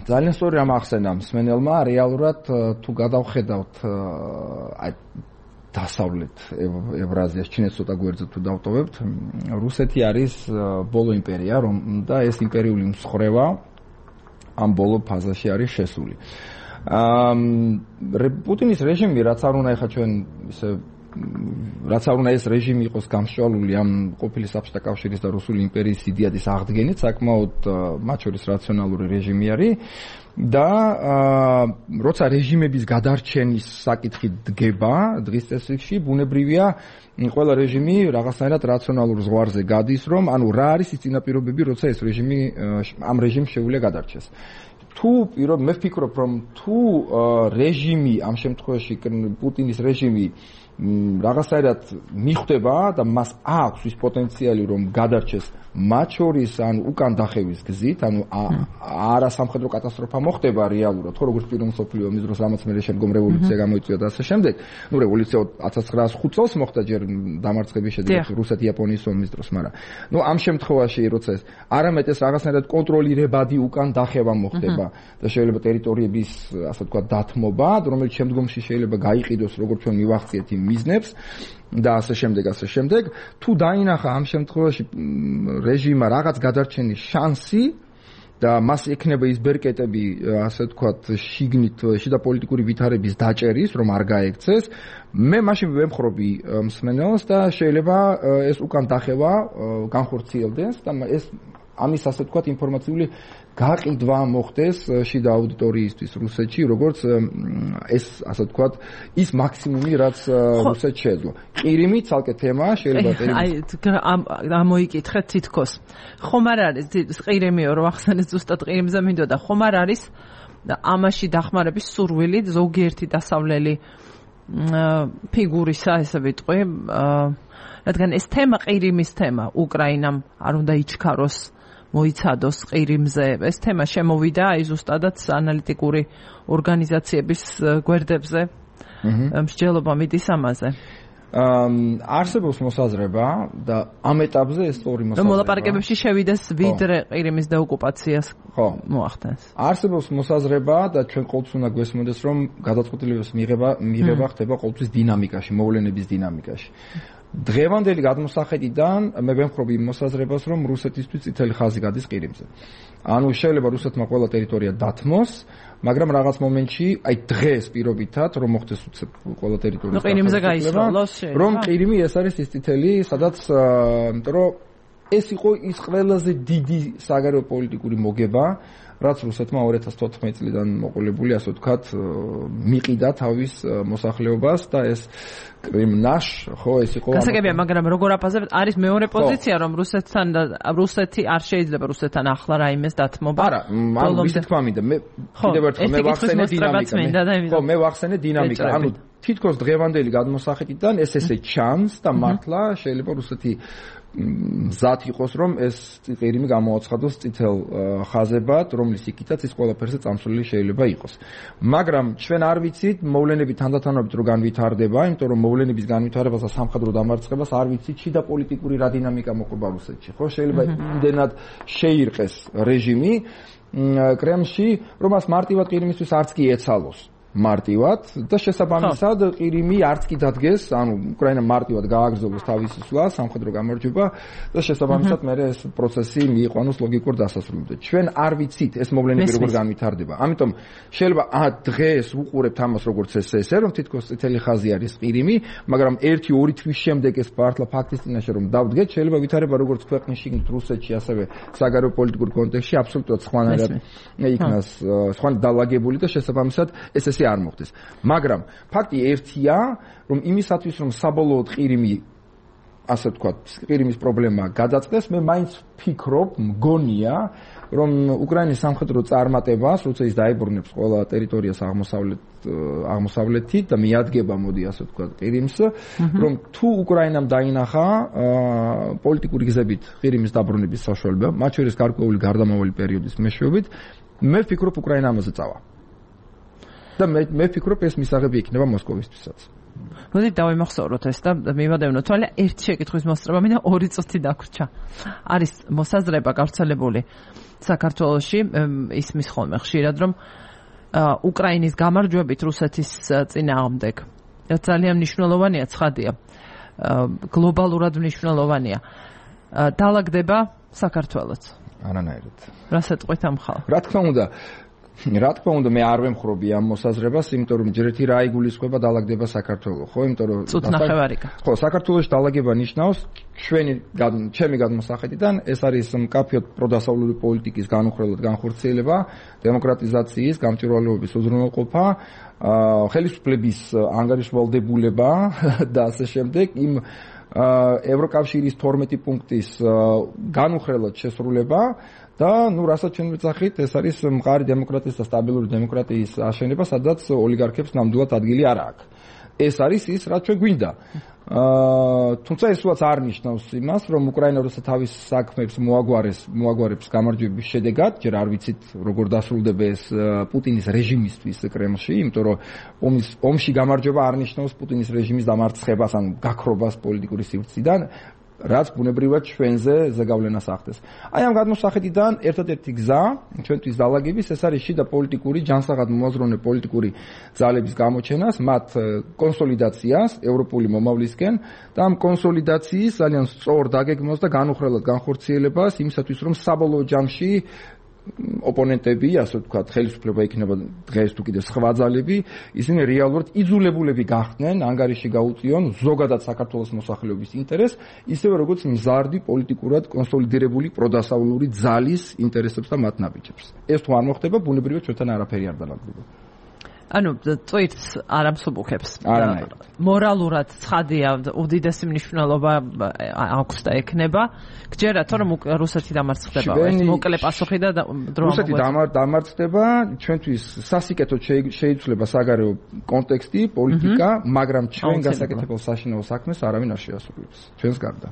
ძალიან სწორი რამ ახსენა მსმენელმა, რეალურად თუ გადავხედავთ აი დასავლეთ ევრაზიას, ჩინეთს ცოტა გვერდზე თუ დავტოვებთ, რუსეთი არის ბოლო იმპერია, რომ და ეს იმპერიული მსხრევა ამ ბოლო ფაზაში არის შესული. პუტინის რეჟიმი, რაც არ უნდა ეხა ჩვენ ისე რაც არ უნდა ეს რეჟიმი იყოს გამშვალული ამ ყოფილი საბჭოთა კავშირის და რუსული იმპერიის იდეადის აღდგენით, საკმაოდ მათ შორის რაციონალური რეჟიმი არის და როცა რეჟიმების გადარჩენის საკითხი დგება დღის წესრიგში, ბუნებრივია ყველა რეჟიმი რაღაცნაირად რაციონალურ ზღვარზე გადის, რომ ანუ რა არის ის წინაპირობები, როცა ეს რეჟიმი ამ რეჟიმს შეუძლია გადარჩეს. მე ვფიქრობ, რომ თუ რეჟიმი ამ შემთხვევაში პუტინის რეჟიმი რაღაცნაირად მიხვდება და მას აქვს ის პოტენციალი, რომ გადარჩეს მათ შორის ან უკან დახევის გზით, ანუ არა სამხედრო კატასტროფა მოხდება რეალურად, ხო როგორც პირველ მსოფლიო ომის დროს, რამაც მე შემდგომ რევოლუცია გამოიწვია და ასე შემდეგ. რევოლუცია 1905 წელს მოხდა ჯერ დამარცხების შედეგად რუსეთ-იაპონიის ომის დროს, მაგრამ ამ შემთხვევაში როცა ეს არამედ ეს რაღაცნაირად კონტროლირებადი უკან დახევა მოხდება და შეიძლება ტერიტორიების, ასე ვთქვათ, დათმობა, რომელიც შემდგომში შეიძლება გაიყიდოს, როგორც ჩვენ მივახციეთ იმ მიზნებს და ასე შემდეგ. თუ დაინახა ამ შემთხვევაში რეჟიმმა რაღაც გადარჩენის შანსი და მას ექნება ის ბერკეტები, ასე ვთქვათ, შიგნით შიდა პოლიტიკური ვითარების დაჭერის, რომ არ გაექცეს, მე მაშინ ვემხრობი მსმენელს და შეიძლება ეს უკან დახევა განხორციელდეს და ეს ამის, ასე ვთქვათ, ინფორმაციული გაყიდვა მოხდეს შიდა აუდიტორიისთვის რუსეთში, როგორც ეს, ასე ვთქვათ, ის მაქსიმუმი, რაც რუსეთს შეეძლო. ყირიმი ცალკე თემაა, შეიძლება ამოიკითხეთ თითქოს. ხომ არ არის ყირიმიო, რომ ახსენეთ ზუსტად ყირიმზე მინდოდა, ხომ არ არის ამაში დახმარების სურვილი ზოგიერთი დასავლელი ფიგურისა, ესე ვიტყვი, რადგან ეს თემა ყირიმის თემა უკრაინამ არ უნდა იჩქაროს მოიცადოს ყირიმზე. ეს თემა შემოვიდა აი ზუსტადაც ანალიტიკური ორგანიზაციების გვერდებზე. მსჯელობა მიდის ამაზე. არსებობს მოსაზრება და ამ ეტაპზე ეს სწორი მოსაზრება. მოლაპარაკებებში შევიდეს ვიდრე ყირიმის დეოკუპაციას მოახდენს. არსებობს მოსაზრება და ჩვენ ყოველთვის უნდა გვესმოდეს, რომ გადაწყვეტილების მიღება ხდება ყოველთვის დინამიკაში, მოვლენების დინამიკაში. დღევანდელი გადმოსახედიდან მე ვემხრობი იმ მოსაზრებას, რომ რუსეთისთვის წითელი ხაზი გადის ყირიმზე. ანუ შეიძლება რუსეთმა ყველა ტერიტორია დათმოს, მაგრამ რაღაც მომენტში, აი დღეს პირობითად, რომ მოხდეს ყველა ტერიტორია ყირიმზე გაისროლოს, რომ ყირიმი ეს არის ის წითელი, სადაც, იმიტომ რომ ეს იყო ის ყველაზე დიდი საგარეო პოლიტიკური მოგება, რაც რუსეთმა 2014 წლიდან მოყოლებული, ასე ვთქვათ, მიყიდა თავის მოსახლეობას და ეს კრიმნაშ, ხო, ეს იყო. გასაგებია, მაგრამ როგორ აფასებთ, არის მეორე პოზიცია, რომ რუსეთი არ შეიძლება რუსეთთან ახლა რაიმეს დათმობა. არა, ანუ ვისი თქმა მინდა, მე კიდევ ერთხელ მე ვახსენე დინამიკა. ხო, მე ვახსენე დინამიკა. ანუ თითქოს დღევანდელი გადმოსახედიდან ეს ესე ჩანს და მართლა შეიძლება რუსეთი მზად იყოს, რომ ეს ყირიმი გამოაცხადოს წითელ ხაზებად, რომლის იქითაც ის ყველაფერზე წამსვლელი შეიძლება იყოს. მაგრამ ჩვენ არ ვიცით მოვლენები თანდათანობით რო განვითარდება, იმიტომ რომ მოვლენების განვითარებას და სამხედრო დამარცხებას არ ვიცით შიდა პოლიტიკური რა დინამიკა მოყვება რუსეთში. ხო, შეიძლება იმდენად შეირყეს რეჟიმი კრემლში, რომ მას მარტივად ყირიმისთვის არც კი ეცალოს. მარტივად და შესაბამისად ყირიმი არც კი დადგეს, ანუ უკრაინა მარტივად გააგრძელოს თავისი სვლა, სამხედრო გამარჯვება და შესაბამისად მე ეს პროცესი მიიყვანოს ლოგიკურ დასასრულამდე. ჩვენ არ ვიცით ეს მოვლენები როგორ განვითარდება. ამიტომ შეიძლება დღეს უყურებთ ამას როგორც ესე, რომ თითქოს წითელი ხაზი არის ყირიმი, მაგრამ 1-2 თვის შემდეგ ეს მართლა ფაქტის წინაშე რომ დავდგეთ, შეიძლება ვითარება როგორც ქვეყნის შიგნით რუსეთში, ასევე საგარეო პოლიტიკურ კონტექსტში აბსოლუტურად სხვანაირად იქნას, სხვა დალაგებული და შესაბამისად ეს არ მოხდეს. მაგრამ ფაქტი ერთია, რომ იმისათვის რომ საბოლოოდ ყირიმი, ასე ვთქვათ, ყირიმის პრობლემა გადაწყდეს, მე მაინც ვფიქრობ, მგონია, რომ უკრაინის სამხედრო წარმატებას, როცა ის დაებრუნებს ყველა ტერიტორიას აღმოსავლეთით და მიადგება, მოდი ასე ვთქვათ, ყირიმს, რომ თუ უკრაინამ დაინახა პოლიტიკური გზებით ყირიმის დაბრუნების საშუალება, მათ შორის გარკვეული გარდამავალი პერიოდის მეშვეობით, მე ვფიქრობ, უკრაინა ამაზე წავა. და მე ვფიქრობ ეს მისაღები იქნება მოსკოვისთვისაც. მოდით დავიმახსოვროთ ეს და მივადევნოთ, თვალე ერთი შეკითხვის მოსწრება მინდა 2 წუთი დაგვრჩა. არის მოსაზრება გავრცელებული საქართველოში, ისმის ხოლმე ხშირად, რომ უკრაინის გამარჯვებით რუსეთის წინააღმდეგ ძალიან მნიშვნელოვანია, ცხადია, გლობალურად მნიშვნელოვანია. დაალაგდება საქართველოც. არანაირად. რასაც ყვეთ ამ ხალხს? რა თქმა უნდა, მე არ ვემხრობი ამ მოსაზრებას, იმიტომ რომ ჯერ ერთი რა იგულისხმება დაალაგდება საქართველოს, ხო, იმიტომ რომ ხო, საქართველოში დაალაგება ნიშნავს ჩემი გადმოსახედიდან ეს არის მკაფიოდ პროდასავლური პოლიტიკის განუხრელად განხორციელება, დემოკრატიზაციის, გამჭვირვალეობის უზრუნველყოფა, ხელისუფლების ანგარიშვალდებულება და ასე შემდეგ იმ ევროკავშირის 12 პუნქტის განუხრელად შესრულება და რასაც ჩვენ ვეძახით, ეს არის მყარი დემოკრატიის და სტაბილური დემოკრატიის აშენება, სადაც ოლიგარქებს ნამდვილად ადგილი არ აქვს. ეს არის ის, რაც ჩვენ გვინდა. თუმცა ეს უაც არ ნიშნავს იმას, რომ უკრაინა როცა თავის საქმეებს მოაგვარებს გამარჯვების შედეგად, ჯერ არ ვიცით როგორ დასრულდება ეს პუტინის რეჟიმისთვის კრემლში, იმიტომ რომ ომში გამარჯვება არ ნიშნავს პუტინის რეჟიმის დამარცხებას, ანუ გაქრობას პოლიტიკური სივრციდან. რაც ბუნებრივად ჩვენზე ზეგავლენას ახდენს. აი ამ გადმოსახედიდან ერთადერთი გზა ჩვენთვის დალაგების ეს არის შიდა პოლიტიკური ჯანსაღად მომაზროვნე პოლიტიკური ძალების გამოჩენას, მათ კონსოლიდაციას ევროპული მომავლისკენ და ამ კონსოლიდაციის ძალიან სწორ დაგეგმვას და განუხრელად განხორციელებას იმისათვის რომ საბოლოო ჯამში ოპონენტები, ასე ვთქვათ, ხელისუფლება იქნება დღეს თუ კიდე სხვა ძალები, ისინი რეალურად იძულებულები გახდნენ ანგარიში გაუწიონ ზოგადად საქართველოს მოსახლეობის ინტერესს, ისევე როგორც მზარდი პოლიტიკურად კონსოლიდირებული პროდასავლური ძალის ინტერესებს და მათ ნაბიჯებს. ეს თუ არ მოხდება, ბუნებრივად ჩვენთან არაფერი არ დალაგდება. ანუ წვირს არ ამსუბუქებს. მორალურად ცხადია, უდიდესი მნიშვნელობა აქვს და ექნება. გჯერათ რომ რუსეთი დამარცხდება, ეს მოკლე პასუხი და დრო რუსეთი დამარცხდება, ჩვენთვის სასიკეთოდ შეიცვლება საგარეო კონტექსტი, პოლიტიკა, მაგრამ ჩვენ გასაკეთებელ საშინაო საქმეს არავინ არ შეასრულებს. ჩვენს გარდა.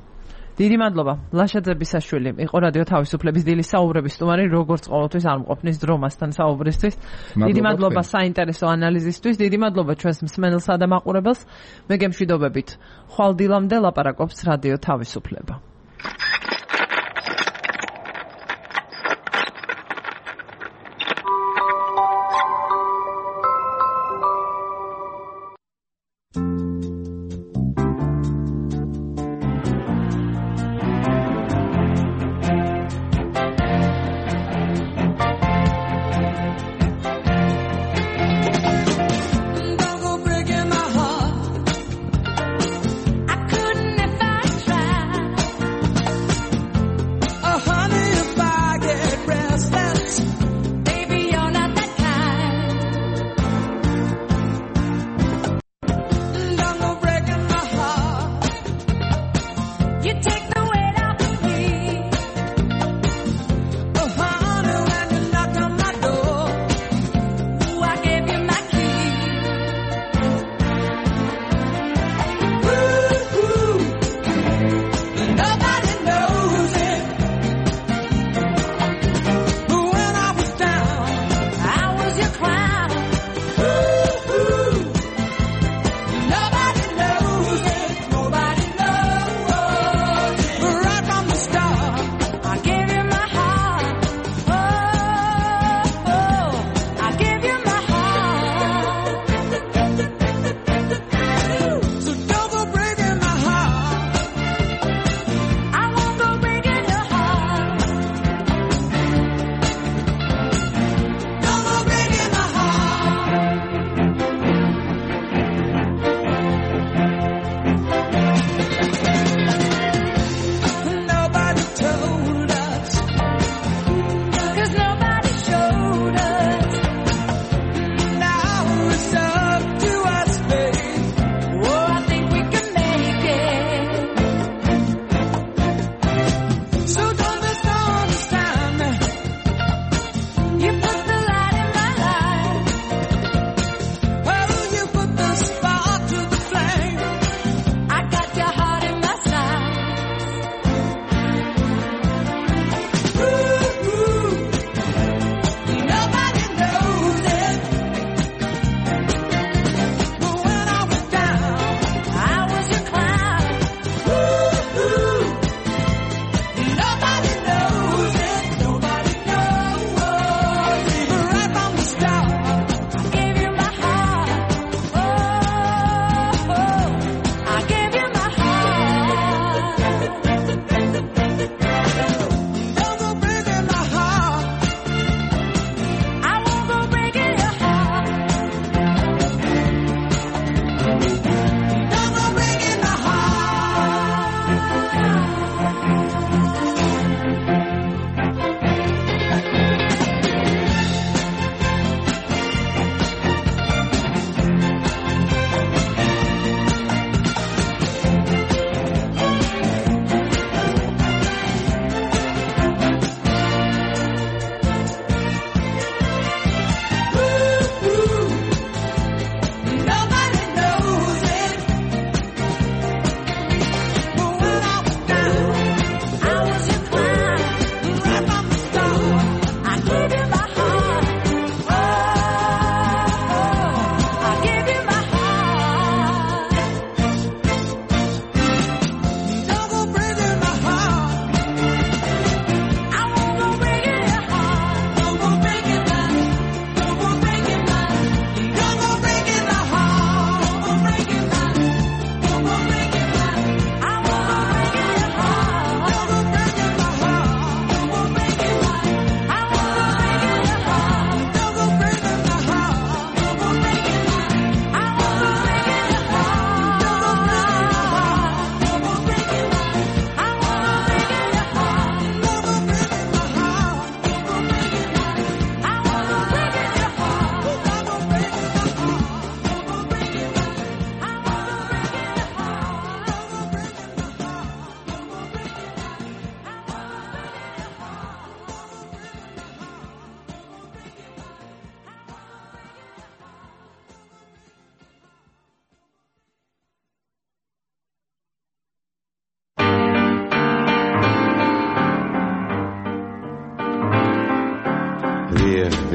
დიდი მადლობა. ლაშა ძებისაშვილი იყო რადიო თავისუფლების დილის საუბრების სტუმარი, როგორც ყოველთვის არ მყოფნის დრო მასთან საუბრისთვის. დიდი მადლობა საინტერესო ანალიზისთვის, დიდი მადლობა ჩვენს მსმენელსა და მაყურებელს. მე გემშვიდობებით. ხვალ დილამდე ლაპარაკობს რადიო თავისუფლება.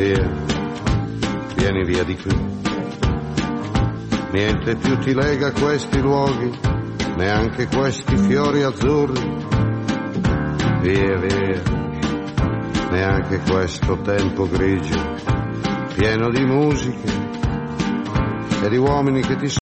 Via, vieni via di qui. Niente più ti lega a questi luoghi, neanche questi fiori azzurri. Via, via, neanche questo tempo grigio, pieno di musiche e di uomini che ti